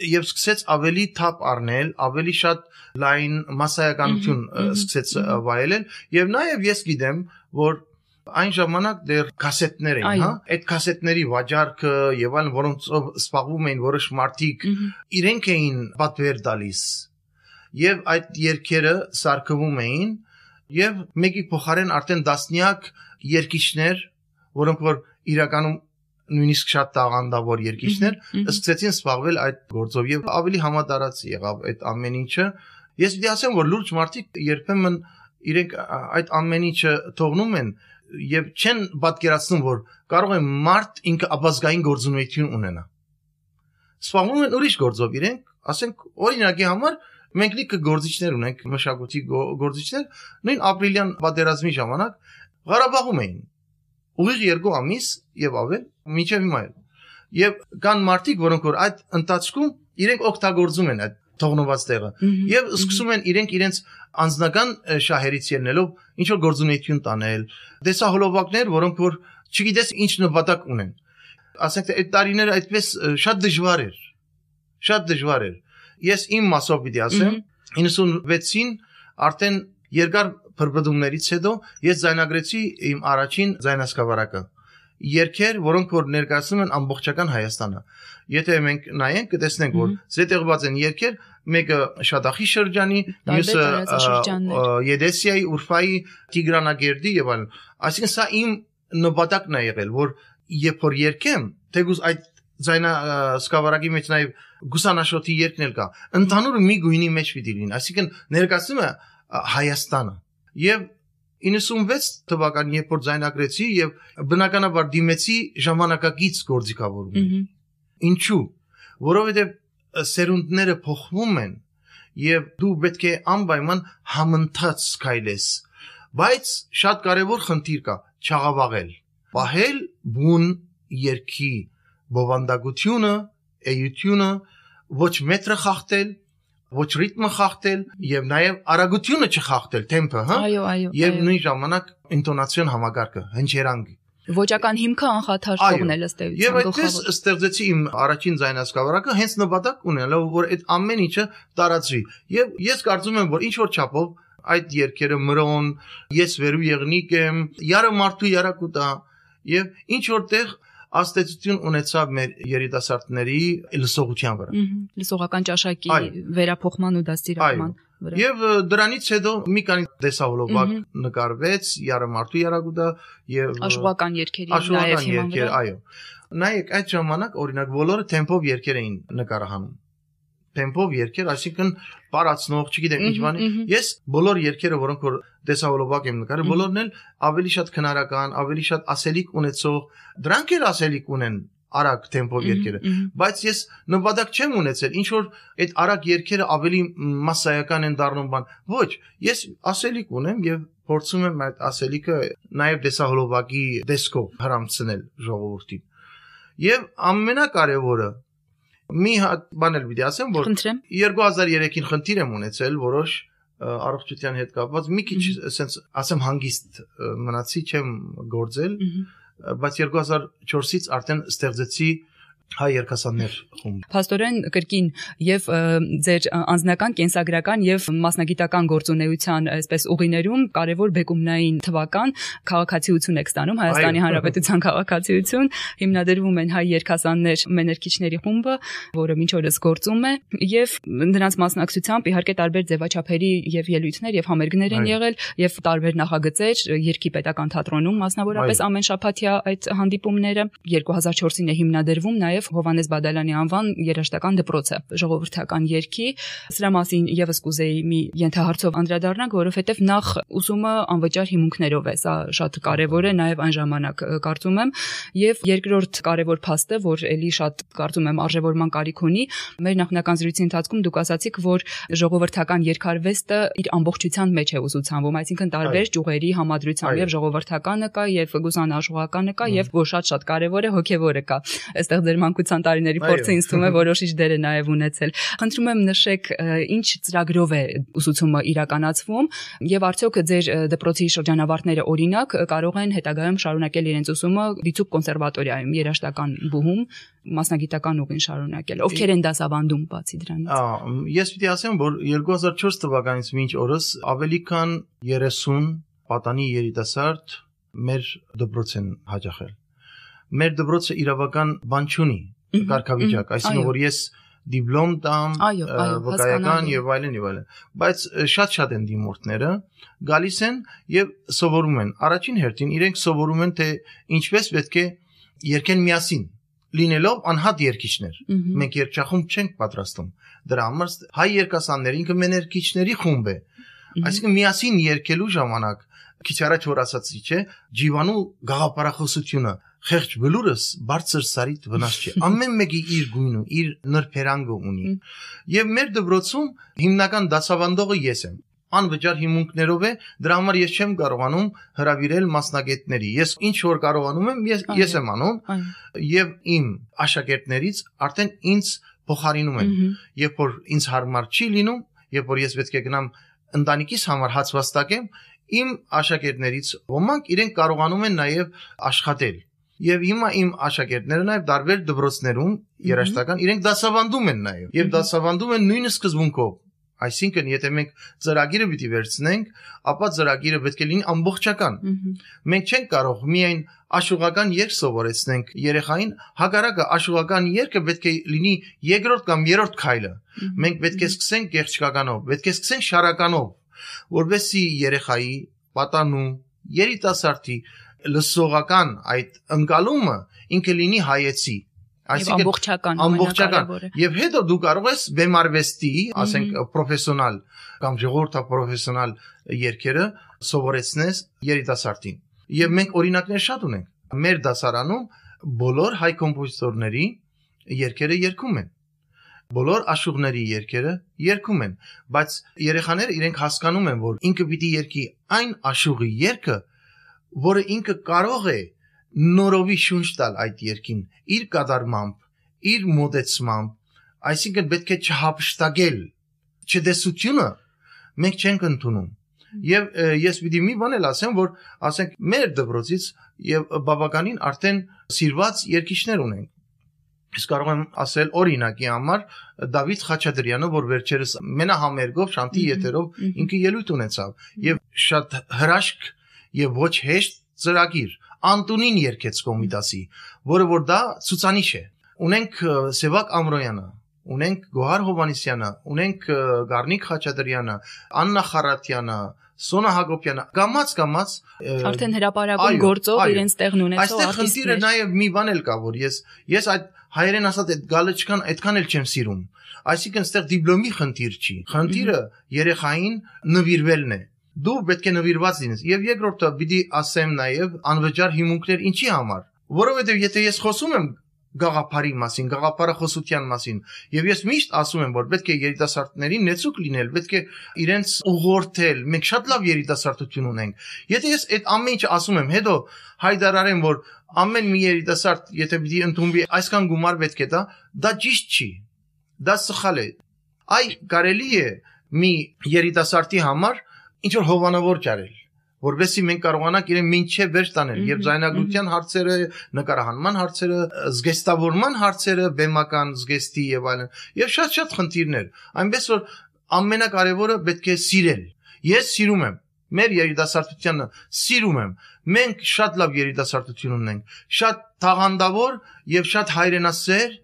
եւ սկսեց ավելի թափ առնել, ավելի շատ լայն մասսայականություն սկսեց վայելել եւ նաեւ ես գիտեմ, որ այն ժամանակ դեռ կասետներ էին, հա, այդ կասետների վաճառքը եւ այլն, որոնցով սպառվում էին որոշ մարդիկ, իրենք էին պատվեր տալիս։ Եվ այդ երգերը սարքվում էին եւ մեկի փոխարեն արդեն դասնյակ երգիչներ, որոնք որ իրականում նույնիսկ շատ տաղանդավոր երգիչներ, սկսեցին զբաղվել այդ գործով եւ ավելի համատարած եղավ այդ ամեն ինչը։ Ես պիտի ասեմ, որ լուրջ մարդիկ երբեմն իրենք այդ ամեն ինչը թողնում են եւ չեն պատկերացնում, որ կարող է մարդ ինքը ապազգային գործունեություն ունենա։ Զբաղվում են ուրիշ գործով իրենք, ասենք օրինակի համար մենք լիքը գործիչներ ունենք, մշակույթի գործիչներ, նույն ապրիլյան պատերազմի ժամանակ Ղարաբաղում էին։ Ուղիղ երկու ամիս եւ ավել, մինչեւ հիմա էլ։ Եվ կան մարդիկ, որոնք որ այդ ընթացքում իրենք օգտագործում են այդ թողնված տեղը եւ սկսում են իրենք իրենց անձնական շահերից ելնելով ինչ որ գործունեություն տանել, դեսահոլովակներ, որոնք որ չգիտես ինչ նպատակ ունեն։ Ասենք այդ տարիները այդպես շատ դժվար էր։ Շատ դժվար էր։ Ես իմ մասով պիտի ասեմ, իննսունվեցին արդեն երկար փրփդումներից հետո ես ձայնագրեցի իմ առաջին ձայնասկավառակը։ Երգեր, որոնք որ ներկայացնում են ամբողջական Հայաստանը։ Եթե մենք նայենք, կտեսնենք, որ զետեղված են երգեր, մեկը Շադախի շրջանի, մյուսը Եդեսիայի, Ուրֆայի, Տիգրանագերդի եւ այլն։ Այսինքն սա իմ նպատակն է եղել, որ երբ որ երգեմ, թեկուզ այդ ձայնասկավառակի մեջ նաեւ գուսանաշոթի երգն էլ կա, ընդհանուր մի գույնի մեջ պիտի լինի, այսինքն ներկայացնում է Հայաստանը։ Եվ իննսունվեց թվականին երբ որ ձայնագրեցի եւ բնականաբար դիմեցի ժամանակակից գործիքավորում։ Ինչու՞։ Որովհետեւ սերունդները փոխվում են եւ դու պետք է անպայման համընթաց քայլես։ Բայց շատ կարեւոր խնդիր կա՝ չաղավաղել, պահել բուն երգի բովանդակությունը, էությունը, ոչ մետրը խախտել, ոչ ռիթմը խախտել եւ նաեւ արագությունը չխախտել, տեմպը, հա։ Այո, այո։ Եվ նույն ժամանակ ինտոնացիոն համակարգը, հնչերանգ։ Ոճական հիմքը անխաթար թողնել ըստ էության։ Եվ այդպես ստեղծեցի իմ առաջին ձայնասկավառակը հենց նպատակ ունենալով, որ այդ ամեն ինչը տարածվի։ Եվ ես կարծում եմ, որ ինչ որ չափով այդ երգերը մրոն, ես վերու եղնիկ եմ, յարը մարդու յարակուտա եւ ինչ որտեղ աստեցություն ունեցավ մեր երիտասարդների լսողության վրա։ Լսողական ճաշակի վերափոխման ու դաստիարակման վրա։ Եվ դրանից հետո մի քանի տեսահոլովակ նկարվեց յարը մարդու յարակուտա եւ աշխուղական երգերի նաեւ հիման վրա։ Այո։ Նայեք, այդ ժամանակ օրինակ բոլորը տեմպով երգեր էին նկարահանում։ տեմպով երգեր, այսինքն պարացնող, չգիտեմ ինչ բանի։ Ես բոլոր երգերը, որոնք որ դեսավոլոբակ եմ նկարել, բոլորն էլ ավելի շատ քնարական, ավելի շատ ասելիք ունեցող, դրանք էլ ասելիք ունեն արագ տեմպով երգերը, բայց ես նպատակ չեմ ունեցել, ինչ որ այդ արագ երգերը ավելի մասսայական են դառնում բան։ Ոչ, ես ասելիք ունեմ եւ փորձում եմ այդ ասելիքը նաեւ դեսահոլովակի դեսկով հрамցնել ժողովրդին։ Եվ ամենակարևորը մի հատ բան էլ պիտի ասեմ, որ երկու հազար երեքին խնդիր եմ ունեցել որոշ առողջության հետ կապված, մի քիչ ասենց ասեմ հանգիստ մնացի, չեմ գործել, բայց երկու հազար չորսից արդեն ստեղծեցի հայ երգասաններ խումբ։ Փաստորեն կրկին եւ ձեր անձնական, կենսագրական եւ մասնագիտական գործունեության այսպես ուղիներում կարեւոր բեկումնային թվական քաղաքացիություն եք ստանում, Հայաստանի Հանրապետության քաղաքացիություն, հիմնադրվում են հայ երգասաններ մեներքիչների խումբը, որը մինչ օրս գործում է եւ նրանց մասնակցությամբ իհարկե տարբեր ձևաչափերի եւ ելույթներ եւ համերգներ են եղել եւ տարբեր նախագծեր Երգի պետական թատրոնում մասնավորապես ամեն շաբաթյա այդ հանդիպումները երկու հազար չորսին է հիմնադրվում նաեւ Հովհաննես Բադալյանի անվան երաժշտական դպրոցը ժողովրդական երգի, սրա մասին եւս կուզեի մի ենթահարցով անդրադառնանք, որովհետեւ նախ ուսումը անվճար հիմունքներով է, սա շատ կարեւոր է նաեւ այն ժամանակ կարծում եմ, եւ երկրորդ կարեւոր փաստը, որ ելի շատ կարծում եմ արժևորման կարիք ունի, մեր նախնական զրույցի ընթացքում դուք ասացիք, որ ժողովրդական երգարվեստը իր ամբողջության մեջ է ուսուցանվում, այսինքն տարբեր ճյուղերի համադրությամբ եւ ժողովրդականը կա եւ գուսանաշխողականը կա եւ որ շատ-շատ կարեւոր է հոգեվորը կա։ Այստեղ ձեր մանկության տարիների փորձը ինձ թվում է որոշիչ դեր է նաև ունեցել։ Խնդրում եմ նշեք ինչ ծրագրով է ուսուցումը իրականացվում եւ արդյոք ձեր դպրոցի շրջանավարտները օրինակ կարող են հետագայում շարունակել իրենց ուսումը Դիցուք կոնսերվատորիայում երաժշտական բուհում մասնագիտական ուղին շարունակել։ Ովքեր են դասավանդում բացի դրանից։ Ես պիտի ասեմ, որ երկու հազար չորս թվականից մինչ օրս ավելի քան երեսուն պատանի երիտասարդ մեր դպրոց են հաճախել։ Մեր դպրոցը իրավական բան չունի, կարգավիճակ, այսինքն որ ես դիպլոմ տամ, վկայական եւ այլն եւ այլն, բայց շատ-շատ են դիմորդները, գալիս են եւ սովորում են։ Առաջին հերթին իրենք սովորում են թե ինչպես պետք է երգեն միասին, լինելով անհատ երգիչներ։ Մենք երգչախումբ չենք պատրաստում։ Դրա համար հայ երգասաններ ինքը մեներքիչների խումբ է։ Այսինքն միասին երգելու ժամանակ քիչ առաջ որ ասացի, չէ, ջիվանու գաղափարախոսությունը խեղճ բլուրս բարձր սարիտ վնաս չէ։ Ամեն մեկի իր գույնը, իր նրբերանգը ունի։ Եվ մեր դպրոցում հիմնական դասավանդողը ես եմ։ Անվճար հիմունքներով է, դրա համար ես չեմ կարողանում հրավիրել մասնագետների։ Ես ինչ որ կարողանում եմ, ես, ես եմ անում եւ իմ աշակերտներից արդեն ինձ փոխարինում են։ Երբ որ ինձ հարմար չի լինում, երբ որ ես պետք է գնամ ընտանիքիս համար հաց վաստակեմ, իմ աշակերտներից ոմանք իրենք կարողանում են նաեւ աշխատել։ Եվ հիմա իմ աշակերտները նաև տարբեր դպրոցներում երաժշտական իրենք դասավանդում են նաև եւ դասավանդում են նույն սկզբունքով։ Այսինքն եթե մենք ծրագիրը պիտի վերցնենք, ապա ծրագիրը պետք է լինի ամբողջական։ Մենք չենք կարող միայն աշուղական երգ սովորեցնենք երեխային, հակառակը աշուղական երգը պետք է լինի երկրորդ կամ երրորդ քայլը։ Մենք պետք է սկսենք գեղչքականով, պետք է սկսենք շարականով, որովհետեւ երեխայի պատանու երիտասարդի լսողական այդ ընկալումը ինքը լինի հայեցի, այսինքն ամբողջական եւ հետո դու կարող ես բեմարվեստի, ասենք պրոֆեսիոնալ կամ ժողովրդապրոֆեսիոնալ երգերը սովորեցնես երիտասարդին։ Եվ մենք օրինակներ շատ ունենք։ Մեր դասարանում բոլոր հայ կոմպոզիտորների երգերը երգում են։ Բոլոր աշուղների երգերը երգում են, բայց երեխաները իրենք հասկանում են, որ ինքը պիտի երգի այն աշուղի երգը, որը ինքը կարող է նորովի շունչ տալ այդ երգին, իր կատարմամբ, իր մոտեցմամբ, այսինքն պետք է չհափշտակել, չդեսությունը մենք չենք ընդունում։ Եվ ես պիտի մի բան էլ ասեմ, որ ասենք մեր դպրոցից եւ բավականին արդեն սիրված երգիչներ ունենք։ Ես կարող եմ ասել օրինակի համար Դավիթ Խաչատրյանը, որ վերջերս մենահամերգով շանտի եթերով ինքը ելույթ ունեցավ եւ շատ հրաշք եւ ոչ հեշտ ծրագիր Անտունին երգեց Կոմիտասի, որը որ դա ցուցանիշ է։ Ունենք Սևակ Ամրոյանը, ունենք Գոհար Հովանեսյանը, ունենք Գառնիկ Խաչատրյանը, Աննա Խարատյանը, Սոնա Հակոբյանը, կամած կամած արդեն հրապարակում գործող իրենց տեղն ունեցող արտիստներ։ Այստեղ խնդիրը նաև մի բան էլ կա, որ ես ես այդ հայերեն ասած այդ գալչկան այդքան էլ չեմ սիրում։ Այսինքն այստեղ դիպլոմի խնդիր չի։ Խնդիրը երեխային նվիրվելն է։ Դու պետք է նվիրված լինես։ Եվ երկրորդը պիտի ասեմ նաև անվճար հիմունքներ ինչի համար։ Որովհետև եթե ես խոսում եմ գաղափարի մասին, գաղափարախոսության մասին, եւ ես միշտ ասում եմ, որ պետք է երիտասարդներին նեցուկ լինել, պետք է իրենց ուղղորդել։ Մենք շատ լավ երիտասարդություն ունենք։ Եթե ես այդ ամեն ինչը ասում եմ, հետո հայտարարեմ, որ ամեն մի երիտասարդ, եթե պիտի ընդունվի, այսքան գումար պետք է տա, դա ճիշտ չի։ Դա սխալ է։ Այ կարելի է մի երիտասարդի համար ինչ որ հովանավոր ճարել, որովհետեւ մենք կարողանանք իրեն մինչև վերջ տանել եւ զայնագրության հարցերը, նկարահանման հարցերը, զգեստավորման հարցերը, բեմական զգեստի եւ այլն, եւ շատ-շատ խնդիրներ։ Այնպես որ ամենակարևորը պետք է սիրել։ Ես սիրում եմ մեր երիտասարդությանը, սիրում եմ։ Մենք շատ լավ երիտասարդություն ունենք, շատ տաղանդավոր եւ շատ հայրենասեր,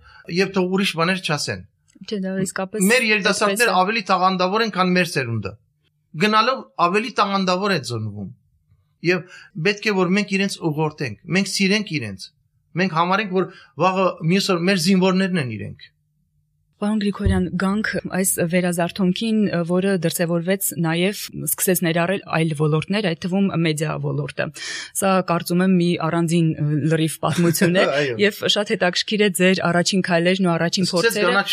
եւ թող ուրիշ բաներ չասեն։ Չէ, դա իսկապես մեր երիտասարդները ավելի տաղանդավոր են, քան մեր սերունդը։ Գնալով ավելի տաղանդավոր է ծնվում։ Եվ պետք է որ մենք իրենց ուղղորդենք, մենք սիրենք իրենց։ Մենք համարենք որ վաղը մյուս օր մեր զինվորներն են իրենք։ Պարոն Գրիգորյան, գանք այս վերազարթոնքին, որը դրսևորվեց նաև սկսեց ներառել այլ ոլորտներ, այդ թվում մեդիա ոլորտը։ Սա կարծում եմ մի առանձին լրիվ պատմություն է եւ շատ հետաքրքիր է ձեր առաջին քայլերն ու առաջին փորձերը։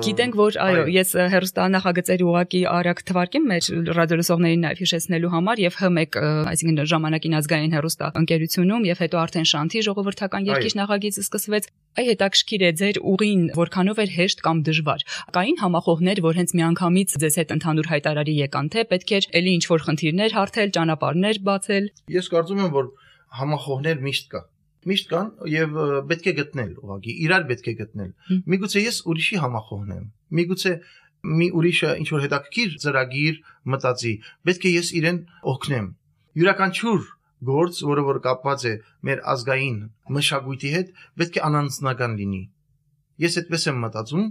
Գիտենք, որ այո, ես հեռուստանախագծերի ուղակի արագ թվարկեմ մեր ռադիոլսողներին նաև հիշեցնելու համար եւ Հ մեկ, այսինքն ժամանակին ազգային հեռուստա ընկերությունում եւ հետո արդեն Շանթի ժողովրդական երկիշ նախագիծը սկսվեց։ Այ հետաքրքիր է ձեր ուղին որքանով էր հեշտ կամ դժվար։ Կային համախոհներ, որ հենց միանգամից ձեզ հետ ընդհանուր հայտարարի եկան, թե պետք էր էլի ինչ-որ խնդիրներ հարթել, ճանապարհներ բացել։ Ես կարծում եմ, որ համախոհներ միշտ կա։ Միշտ կան եւ պետք է գտնել ուղղակի, իրար պետք է գտնել։ Միգուցե ես ուրիշի համախոհն եմ։ Միգուցե մի ուրիշը ինչ-որ հետաքրքիր ծրագիր մտածի, պետք է ես իրեն օգնեմ։ Յուրաքանչյուր գործ, որը որ կապված է մեր ազգային մշակույթի հետ, պետք է անանձնական լինի։ Ես այդպես եմ մտածում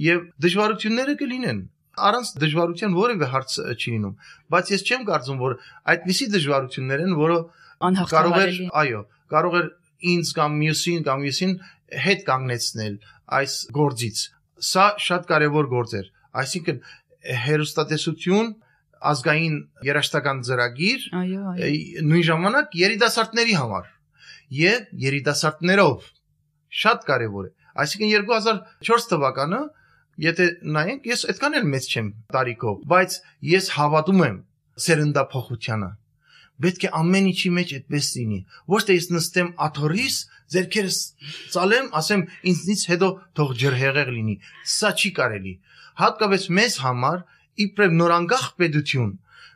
եւ դժվարությունները կլինեն։ Առանց դժվարության որևէ հարց չի լինում, բայց ես չեմ կարծում, որ այդպիսի դժվարություններ են, որը կարող է, այո, կարող է ինձ կամ մյուսին կամ մյուսին հետ կանգնեցնել այս գործից։ Սա շատ կարևոր գործ էր։ Այսինքն հեռուստատեսություն, ազգային երաժշտական ծրագիր, նույն ժամանակ երիտասարդների համար եւ երիտասարդներով շատ կարևոր է։ Այսինքն երկու հազար չորս թվականը, եթե նայենք, ես այդքան էլ մեծ չեմ տարիքով, բայց ես հավատում եմ սերնդափոխությանը։ Պետք է ամեն ինչի մեջ այդպես լինի։ Ոչ թե ես նստեմ աթոռիս, ձեռքերս ծալեմ, ասեմ ինձնից հետո թող ջրհեղեղ լինի։ Սա չի կարելի։ Հատկապես մեզ համար իբրև նորանկախ պետություն,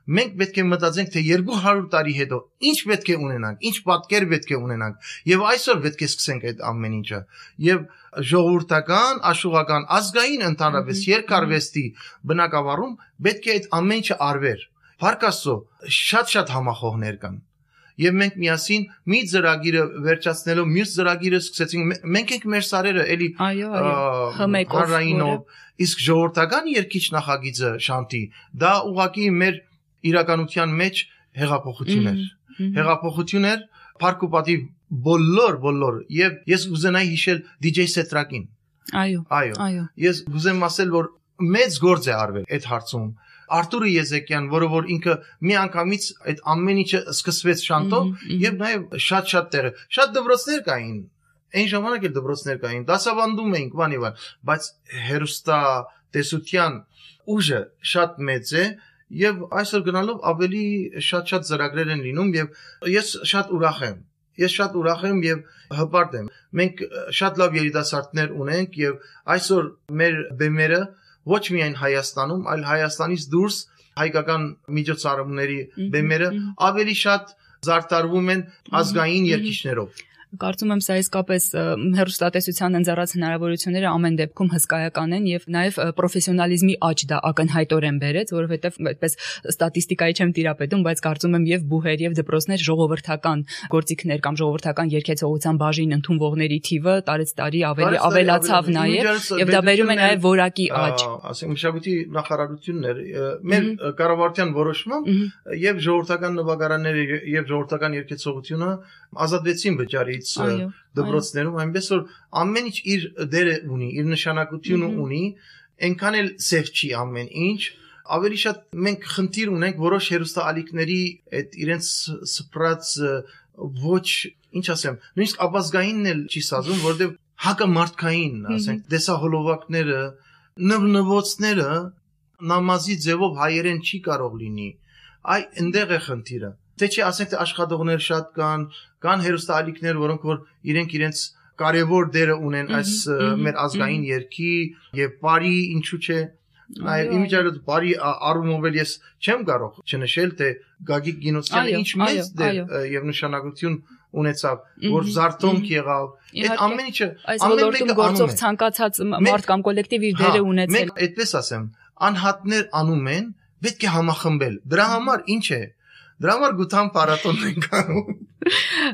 մենք պետք է մտածենք, թե երկու հարյուր տարի հետո ինչ պետք է ունենանք, ինչ պատկեր պետք է ունենանք, եւ այսօր պետք է սկսենք այդ ամեն ինչը։ Եվ ժողովրդական, աշխուղական, ազգային ընդհանրապես երկարվեստի բնակավարում պետք է այդ ամեն ինչը արվեր։ Փառք Աստծո, շատ-շատ համախոհներ կան։ Եվ մենք միասին մի ծրագիրը վերջացնելով մյուս ծրագիրը սկսեցինք, մենք ենք մեր սարերը էլի հանրայինով, իսկ ժողովրդական երկիչ նախագիծը Շանթի, դա ուղղակի մեր իրականության մեջ հեղափոխություն էր։ Հեղափոխություն էր, փառք ու պատիվ բոլոր բոլոր եւ ես կուզենայի հիշել դիջեյ Սետրակին։ Այո։ Այո։ Ես կուզեմ ասել, որ մեծ գործ է արվել այդ հարցում։ Արտուրը Եզեկյան, որը որ ինքը մի անգամից այդ ամեն ինչը սկսվեց Շանթով եւ նաեւ շատ-շատ տեղը, շատ դպրոցներ կային։ Այն ժամանակ էլ դպրոցներ կային, դասավանդում էինք, բան եւ այլ, բայց հերոստա տեսության ուժը շատ մեծ է եւ այսօր գնալով ավելի շատ-շատ ծրագրեր են լինում եւ ես շատ ուրախ եմ։ Ես շատ ուրախ եմ եւ հպարտ եմ։ Մենք շատ լավ երիտասարդներ ունենք եւ այսօր մեր բեմերը ոչ միայն Հայաստանում, այլ Հայաստանից դուրս հայկական միջոցառումների բեմերը ավելի շատ զարդարվում են ազգային երգիչներով։ Կարծում եմ սա իսկապես հեռուստատեսության ընձեռած հնարավորությունները ամեն դեպքում հսկայական են եւ նաեւ պրոֆեսիոնալիզմի աճ դա ակնհայտորեն բերեց, որովհետեւ այդպես ստատիստիկայի չեմ տիրապետում, բայց կարծում եմ եւ բուհեր եւ դպրոցներ ժողովրդական գործիքներ կամ ժողովրդական երգեցողության բաժին ընդունվողների թիվը տարեց տարի ավելի ավելացավ նաեւ եւ դա բերում է նաեւ որակի աճ։ Ասենք մշակույթի նախարարությունն էր մեր կառավարության որոշմամբ եւ ժողովրդական նվագարանները եւ ժողովրդական երգեցողությունը ազատվեցին վճարից շքոլից դպրոցներում, այնպես որ ամեն ինչ իր դերը ունի, իր նշանակությունը ունի, այնքան էլ սև չի ամեն ինչ, ավելի շատ մենք խնդիր ունենք որոշ հերոստալիքների այդ իրենց սփռած ոչ, ինչ ասեմ, նույնիսկ ապազգայինն էլ չի սազում, որտեղ հակամարտկային, ասենք, դեսահոլովակները, նվնվոցները նամազի ձևով հայերեն չի կարող լինի։ Այ այնտեղ է խնդիրը։ Թե չի ասենք, թե աշխատողներ շատ կան, կան հերոստալիքներ, որոնք որ իրենք իրենց կարևոր դերը ունեն այս մեր ազգային երգի եւ բարի, ինչու՞ չէ։ Այլ իմիջիայլոց բարի առումով էլ ես չեմ կարող չնշել, թե Գագիկ Գինոսյանը ինչ մեծ դեր եւ նշանակություն ունեցավ, որ զարթոնք եղավ։ Այդ ամեն ինչը ամեն մեկը գործող ցանկացած մարդ կամ կոլեկտիվ իր դերը ունեցել։ Մենք այդպես ասեմ, անհատներ անում են, պետք է համախմբել։ Դրա համար ինչ է։ Դրա համար գութան փառատոնն ենք անում։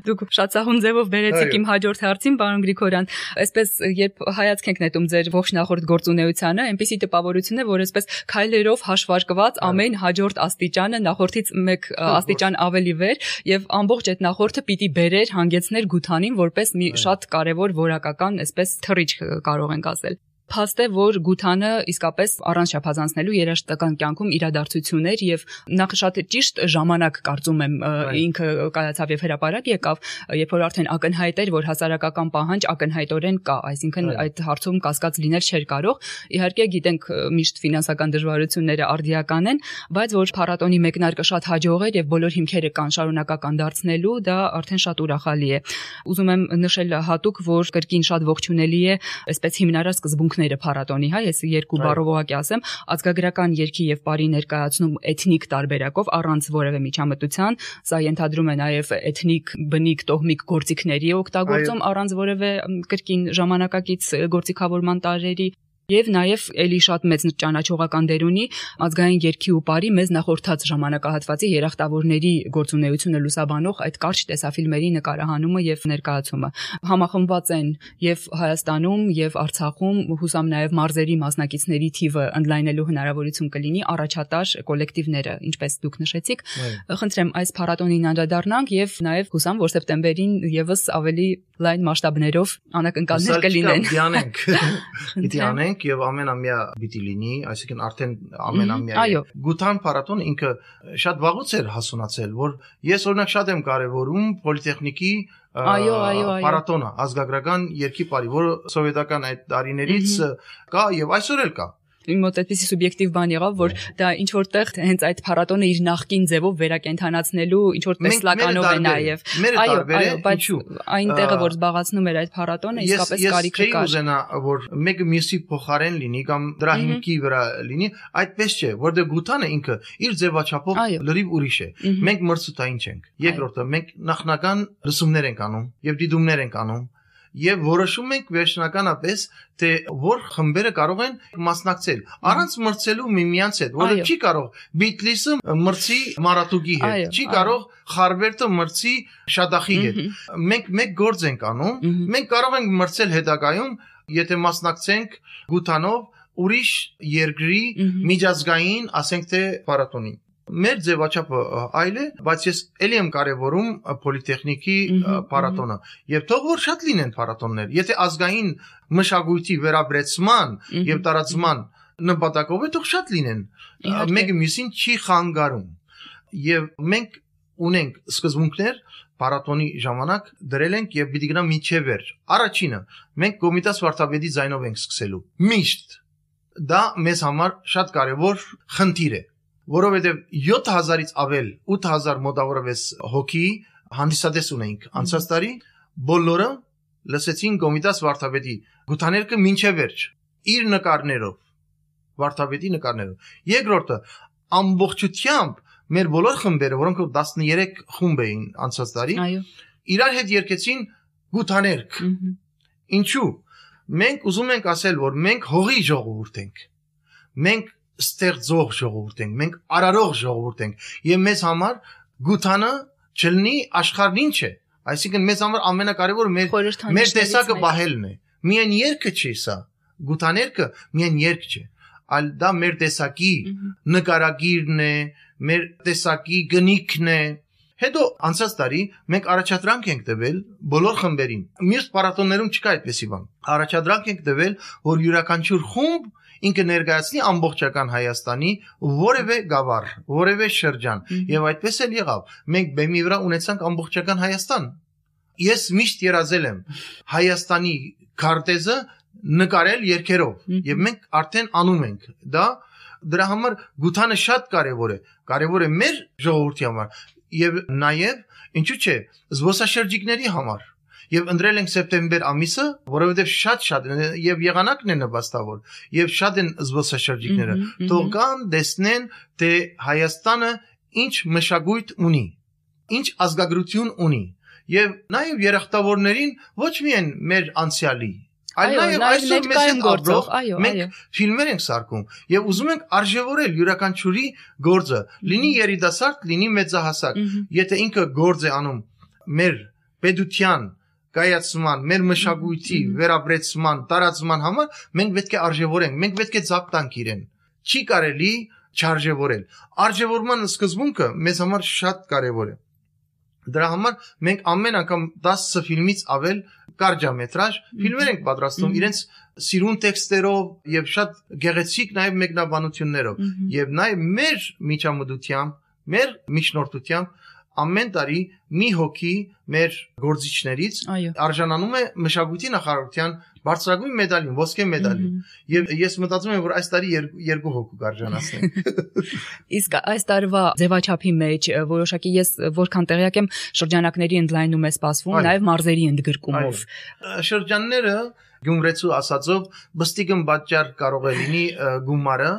Դուք շատ սահուն ձևով բերեցիք իմ հաջորդ հարցին, պարոն Գրիգորյան, այսպես երբ հայացք ենք նետում ձեր ողջ նախորդ գործունեությանը, այնպեսի տպավորություն է, որ այսպես քայլերով հաշվարկված ամեն հաջորդ աստիճանը նախորդից մեկ աստիճան ավելի վեր եւ ամբողջ այդ նախորդը պիտի բերեր հանգեցներ գութանին որպես մի շատ կարեւոր որակական, այսպես թռիչք կարող ենք ասել։ Փաստ է, որ գութանը իսկապես առանց շփազանցնելու երաժշտական կյանքում իրադարձություններ եւ նախ շատ ճիշտ ժամանակ կարծում եմ ինքը կայացավ եւ հրապարակ եկավ, երբ որ արդեն ակնհայտ էր, որ հասարակական պահանջ ակնհայտորեն կա, այսինքն այդ հարցում կասկած լինել չէր կարող։ Իհարկե գիտենք միշտ ֆինանսական դժվարությունները արդիական են, բայց որ փառատոնի մեկնարկը շատ հաջող էր եւ բոլոր հիմքերը կան շարունակական դարձնելու, դա արդեն շատ ուրախալի է։ Ուզում եմ նշել հատուկ, որ կրկին շատ ողջունելի է այսպես հիմնարար սկզբունք փառատոնի, հա, ես երկու բառով ուղղակի ասեմ, ազգագրական երգի եւ բարի ներկայացնում էթնիկ տարբերակով առանց որևէ միջամտության, սա ենթադրում է նաեւ էթնիկ, բնիկ, տոհմիկ գործիքների օգտագործում առանց որևէ կրկին ժամանակակից գործիքավորման տարրերի Եվ նաև էլի շատ մեծ ճանաչողական դեր ունի ազգային երգի ու բարի մեզ նախորդած ժամանակահատվածի երախտավորների գործունեությունը լուսաբանող այդ կարճ տեսաֆիլմերի նկարահանումը եւ ներկայացումը համախմբված են եւ Հայաստանում եւ Արցախում հուսամ նաև մարզերի մասնակիցների թիվը ընդլայնելու հնարավորություն կլինի առաջատար կոլեկտիվները ինչպես դուք նշեցիք խնդրեմ այս փառատոնին անդրադառնանք եւ նաև հուսամ որ սեպտեմբերին եւս ավելի լայն մասշտաբներով անակնկալներ կլինեն դիանենք դիանենք եւ ամենամյա պիտի լինի, այսինքն արդեն ամենամյա գութան փառատոնը ինքը շատ վաղուց էր հասունացել, որ ես օրինակ շատ եմ կարևորում պոլիտեխնիկի փառատոնը, ազգագրական երգի բարի, որը սովետական այդ տարիներից կա եւ այսօր էլ կա։ Իմ մոտ այդպիսի սուբյեկտիվ բան եղավ, որ դա ինչ որտեղ հենց այդ փառատոնը իր նախկին ձևով վերակենդանացնելու ինչ որ տեսլականով է նաև։ Այո, այո, բայց այն տեղը, որ զբաղացնում էր այդ փառատոնը, իսկապես կարիքը կար։ Ես ուզենա, որ մեկը մյուսի փոխարեն լինի կամ դրա հիմքի վրա լինի, այդպես չէ, որտեղ գութանը ինքը իր ձևաչափով լրիվ ուրիշ է։ Մենք մրցութային չենք։ Երկրորդը, մենք նախնական լսումներ ենք անում եւ դիտումներ ենք անում։ Եվ որոշում ենք վերջնականապես, թե որ խմբերը կարող են մասնակցել, առանց մրցելու միմյանց հետ, որը չի կարող Բիթլիսը մրցի Մարատուկի հետ, չի կարող Խարբերտը մրցի Շադախի հետ։ Մենք մեկ գործ ենք անում, մենք կարող ենք մրցել հետագայում, եթե մասնակցենք գութանով ուրիշ երկրի միջազգային, ասենք թե փառատոնին։ Մեր ձևաչափը այլ է, բայց ես ելի եմ կարևորում պոլիտեխնիկի փառատոնը եւ թող որ շատ լինեն փառատոններ։ Եթե ազգային մշակույթի վերաբերեցման եւ տարածման նպատակով է, թող շատ լինեն։ Մեկը մյուսին չի խանգարում։ Եվ մենք ունենք սկզբունքներ փառատոնի ժամանակ դրել ենք եւ պիտի գնա մինչեւ վերջ։ Առաջինը մենք Կոմիտաս վարդապետի ձայնով ենք սկսելու։ Միշտ դա մեզ համար շատ կարևոր խնդիր է։ Որովհետև յոթ հազարից ավել ութ հազար մոտավորապես հոգի հանդիսատես ունենք անցած տարի, բոլորը լսեցին Կոմիտաս վարդապետի գութաներկը մինչև վերջ իր նկարներով, վարդապետի նկարներով։ Երկրորդը ամբողջությամբ մեր բոլոր խմբերը, որոնք տասներեք խումբ էին անցած տարի, իրար հետ երգեցին գութաներկ։ Ինչու՞։ Մենք ուզում ենք ասել, որ մենք հողի ժողովուրդ ենք։ Մենք ստեղծող ժողովուրդ ենք, մենք արարող ժողովուրդ ենք եւ մեզ համար գութանը չլինի աշխարհն ինչ է, այսինքն մեզ համար ամենակարևորը մեր մեր տեսակը բահելն է։ Միայն երգը չի սա, գութաներկը միայն երգ չէ, այլ դա մեր տեսակի նկարագիրն է, մեր տեսակի գնիքն է, Հետո անցած տարի մենք առաջադրանք ենք տվել բոլոր խմբերին։ Մյուս փառատոներում չկա այդպեսի բան։ Առաջադրանք ենք տվել, որ յուրաքանչյուր խումբ ինքը ներկայացնի ամբողջական Հայաստանի որևէ գավառ, որևէ շրջան, եւ այդպես էլ եղավ։ Մենք բեմի վրա ունեցանք ամբողջական Հայաստան։ Ես միշտ երազել եմ Հայաստանի քարտեզը նկարել երգերով, եւ մենք արդեն անում ենք դա։ Դրա համար գութանը շատ կարեւոր է, կարեւոր է մեր ժողովրդի համար եւ նաեւ ինչու՞ չէ զբոսաշրջիկների համար։ Եվ ընտրել ենք սեպտեմբեր ամիսը, որովհետև շատ-շատ եւ եղանակն է նպաստավոր, եւ շատ են զբոսաշրջիկները, թող կան, տեսնեն, թե Հայաստանը ինչ մշակույթ ունի, ինչ ազգագրություն ունի, եւ նաեւ երախտավորներին ոչ միայն մեր անցյալի, այլ նաեւ այսօր մեզ հետ ապրող մենք ֆիլմեր ենք սարքում եւ ուզում ենք արժեվորել յուրաքանչյուրի գործը, լինի երիտասարդ, լինի մեծահասակ, եթե ինքը գործ է անում մեր պետության կայացման, մեր մշակույթի վերաբերեցման, տարածման համար մենք պետք է արժևորենք, մենք պետք է ձապ տանք իրեն։ Չի կարելի չարժևորել։ Արժևորման սկզբունքը մեզ համար շատ կարևոր է։ Դրա համար մենք ամեն անգամ տասը ֆիլմից ավել կարճամետրաժ ֆիլմեր ենք պատրաստում իրենց սիրուն տեքստերով եւ շատ գեղեցիկ նաեւ մեկնաբանություններով եւ նաեւ մեր միջամտությամբ, մեր միջնորդությամբ ամեն տարի մի հոգի մեր գործիչներից արժանանում է մշակույթի նախարարության բարձրագույն մեդալին, ոսկե մեդալին։ Եվ ես մտածում եմ, որ այս տարի երկու հոգու կարժանացնենք։ Իսկ այս տարվա ձևաչափի մեջ որոշակի ես որքան տեղյակ եմ շրջանակների ընդլայնում է սպասվում, նաև մարզերի ընդգրկումով։ Շրջանները Գյումրեցու ասածով բստիկն պատճառ կարող է լինի գումարը,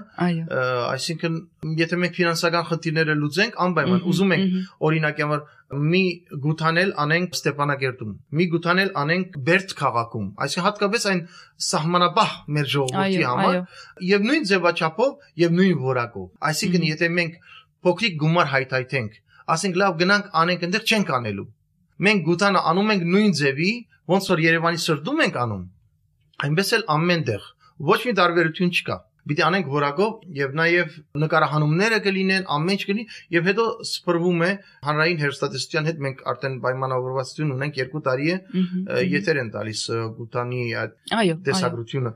այսինքն եթե մենք ֆինանսական խնդիրները լուծենք, անպայման ուզում ենք օրինակ համար մի գութանել անենք Ստեփանագերտում, մի գութանել անենք Բերդ քաղաքում, այսինքն հատկապես այն սահմանապահ մեր ժողովրդի համար եւ նույն ձևաչափով եւ նույն որակով։ Այսինքն եթե մենք փոքրիկ գումար հայթայթենք, ասենք լավ գնանք անենք այնտեղ չենք անելու։ Մենք գութանը անում ենք նույն ձևի, ոնց որ Երևանի սրտում ենք անում, այնպես էլ ամենտեղ ոչ մի տարբերություն չկա։ Պիտի անենք որակով եւ նաեւ նկարահանումները կլինեն, ամեն ինչ կլինի եւ հետո սփռվում է հանրային հերոստատեսության հետ մենք արդեն պայմանավորվածություն ունենք երկու տարի է եթեր են տալիս գութանի այդ տեսագրությունը։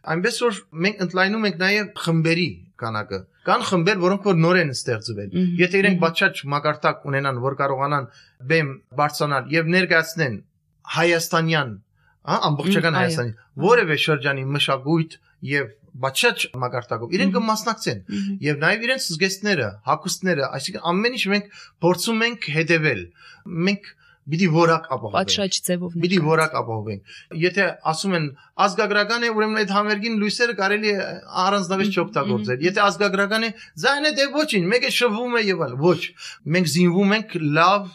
Այնպես որ մենք ընդլայնում ենք նաեւ խմբերի քանակը։ Կան խմբեր, որոնք որ նոր են ստեղծվել։ Եթե իրենք բացաճ մակարդակ ունենան, որ կարողանան բեմ բարձրանալ եւ ներկայացնեն հայաստանյան ամբողջական Հայաստանի որևէ շրջանի մշակույթ եւ բացաճ մակարդակով իրենք կմասնակցեն եւ նաեւ իրենց զգեստները, հագուստները, այսինքն ամեն ինչ մենք փորձում ենք հետեւել։ Մենք պիտի որակ ապահովենք։ Պատշաճ ձևով։ Պիտի որակ ապահովենք։ Եթե ասում են ազգագրական է, ուրեմն այդ համերգին լույսերը կարելի է առանձնապես չօգտագործել։ Եթե ազգագրական է, ձայնը դե ոչինչ, մեկը շվվում է եւ այլ։ Ոչ։ Մենք զինվում ենք լավ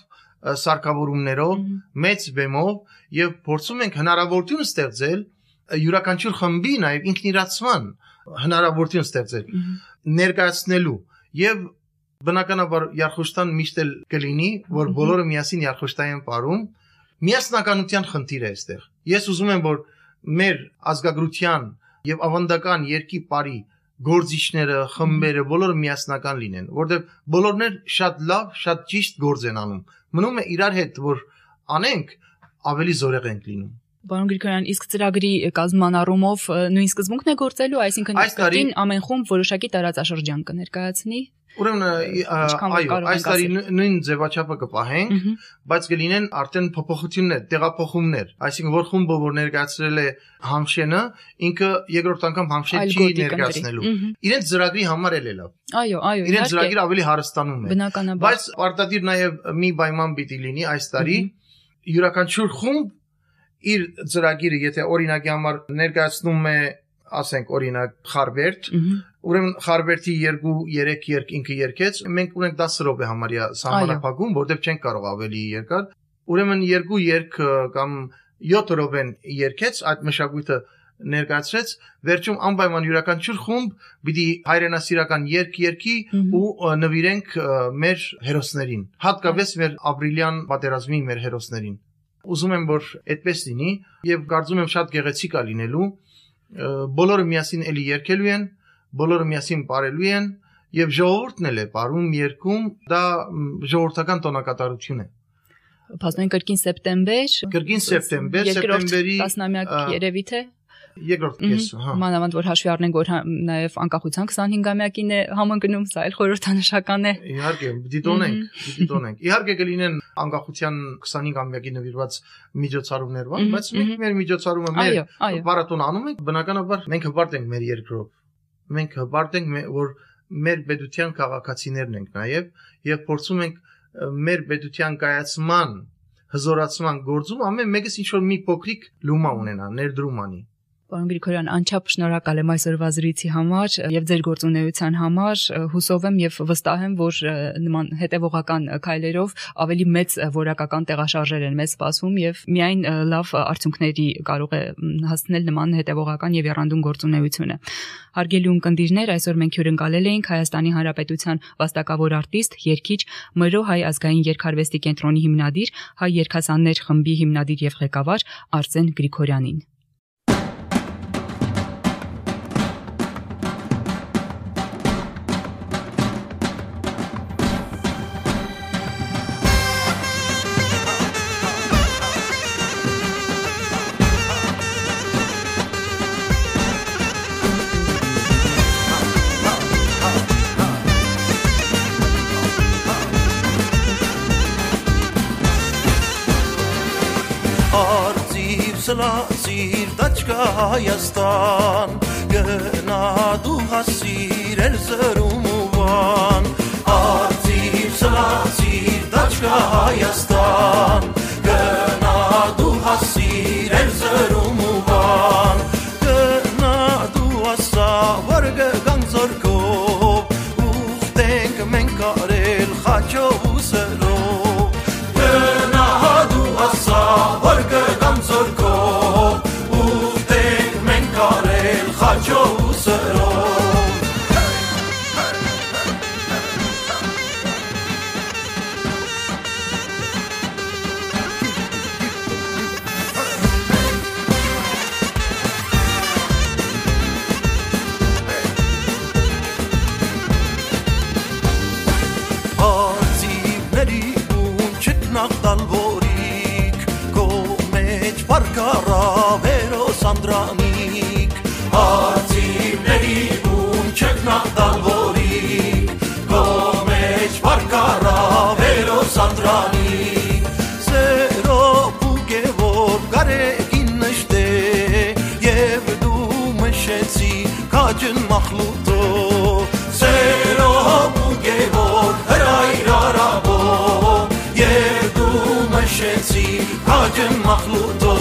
սարքավորումներով, մեծ բեմով եւ փորձում ենք հնարավորություն ստեղծել յուրաքանչյուր խմբի նաեւ ինքնիրացման հնարավորություն ստեղծել ներկայացնելու եւ բնականաբար Երխուշտան միշտ էլ կլինի, որ բոլորը միասին Երխուշտային պարում միասնականության խնդիր է այստեղ։ Ես ուզում եմ, որ մեր ազգագրության եւ ավանդական երկի բարի գործիչները, խմբերը բոլորը միասնական լինեն, որտեղ բոլորն էլ շատ լավ, շատ ճիշտ գործ են անում։ Մնում է իրար հետ, որ անենք, ավելի զորեղ ենք լինում։ Պարոն Գրիգորյան, իսկ ծրագրի կազմման առումով նույն սկզբունքն է գործելու, այսինքն կրկին ամեն խումբ որոշակի տարածաշրջան կներկայացնի։ Ուրեմն այո, այս տարի նույն ձևաչափը կպահենք, բայց կլինեն արդեն փոփոխություններ, տեղափոխումներ, այսինքն որ խումբը որ ներկայացրել է Համշենը, ինքը երկրորդ անգամ Համշեն չի ներկայացնելու։ Իրենց ծրագրի համար էլ է լավ։ Այո, այո, իրենց ծրագիրը ավելի հարստանում է։ Բայց պարտադիր նաև մի պայման պիտի լինի այս տարի յուրաքանչյուր խումբ իր ծրագիրը, եթե օրինակի համար ներկայացնում է, ասենք օրինակ Խարբերդ, ուրեմն Խարբերդի երկու երեք երկ ինքը երկեց, մենք ունենք դասը րոպե համարյա սահմանափակում, որտեղ չենք կարող ավելի երկար, ուրեմն երկու երկ կամ յոթ րոպեն երկեց, այդ մշակույթը ներկայացրեց, վերջում անպայման յուրաքանչյուր խումբ պիտի հայրենասիրական երկ երկի ու նվիրենք մեր հերոսներին, հատկապես մեր ապրիլյան պատերազմի մեր հերոսներին։ Ուզում եմ, որ այդպես լինի եւ կարծում եմ շատ գեղեցիկ է լինելու, բոլորը միասին էլի երգելու են, բոլորը միասին ապրելու են եւ ժողովուրդն էլ է բարում երկում, դա ժողովրդական տոնակատարություն է։ Փաստորեն կրկին սեպտեմբեր, կրկին սեպտեմբեր, սեպտեմբերի տասնամյակ երևի թե երկրորդ կեսը, հա։ Մանավանդ որ հաշվի առնենք, որ նաև անկախության քսանհինգամյակին է համընկնում, սա էլ խորհրդանշական է։ Իհարկե, դիտոնենք, դիտոնենք։ Իհարկե կլինեն անկախության քսանհինգամյակի նվիրված միջոցառումներ, բայց մենք մեր միջոցառումը մեր փառատոն անում ենք, բնականաբար մենք հպարտ ենք մեր երկրով։ Մենք հպարտ ենք, որ մեր պետության քաղաքացիներն ենք նաև եւ փորձում ենք մեր պետության կայացման, հզորացման գործում ամեն մեկս ինչ որ մի փոքրիկ լումա ունենա, ներդրում անի։ Պարոն Գրիգորյան, անչափ շնորհակալ եմ այսօրվա զրույցի համար եւ ձեր գործունեության համար, հուսով եմ եւ վստահ եմ, որ նման հետեւողական քայլերով ավելի մեծ որակական տեղաշարժեր են մեզ սպասում եւ միայն լավ արդյունքների կարող է հասնել նման հետեւողական եւ երանդուն գործունեությունը։ Հարգելի ունկնդիրներ, այսօր մենք հյուրընկալել էինք Հայաստանի Հանրապետության վաստակավոր արտիստ, երգիչ, Մրո հայ ազգային երգարվեստի կենտրոնի հիմնադիր, հայ երգասաններ խմբի հիմնադիր եւ ղեկավար Արսեն Գրիգորյանին։ Սլացիր դաչկա Հայաստան, գնա դու հասիր էլ զրում ու վան, արձիվ սլացիր դաչկա Հայաստան, գնա դու հասիր էլ զրում ու վան, գնա դու ասա, որ գգան զորքով, ուղտենք մենք արել խաչով ու սրով, գնա դու ասա, որ գգան զորքով, Անդրանիկ, արձիվների ում չկնակ դալվորիկ, գոմեջ վարկարավերոս անդրանիկ, սերով ու գևոր գարեգին նշտե, և դու մշեցի կաջն մախլուտո, սերով ու գևոր հրայր արաբո, և դու մշեցի կաջն մախլուտո,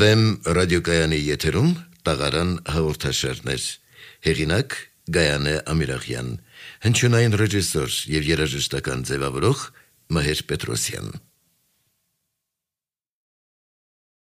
Վեմ ռադիոկայանի եթերում տաղարան հաղորդաշարներ, հեղինակ Գայանե Ամիրախյան, հնչյունային ռեժիսոր և երաժշտական ձևավորող Մհեր Պետրոսյան։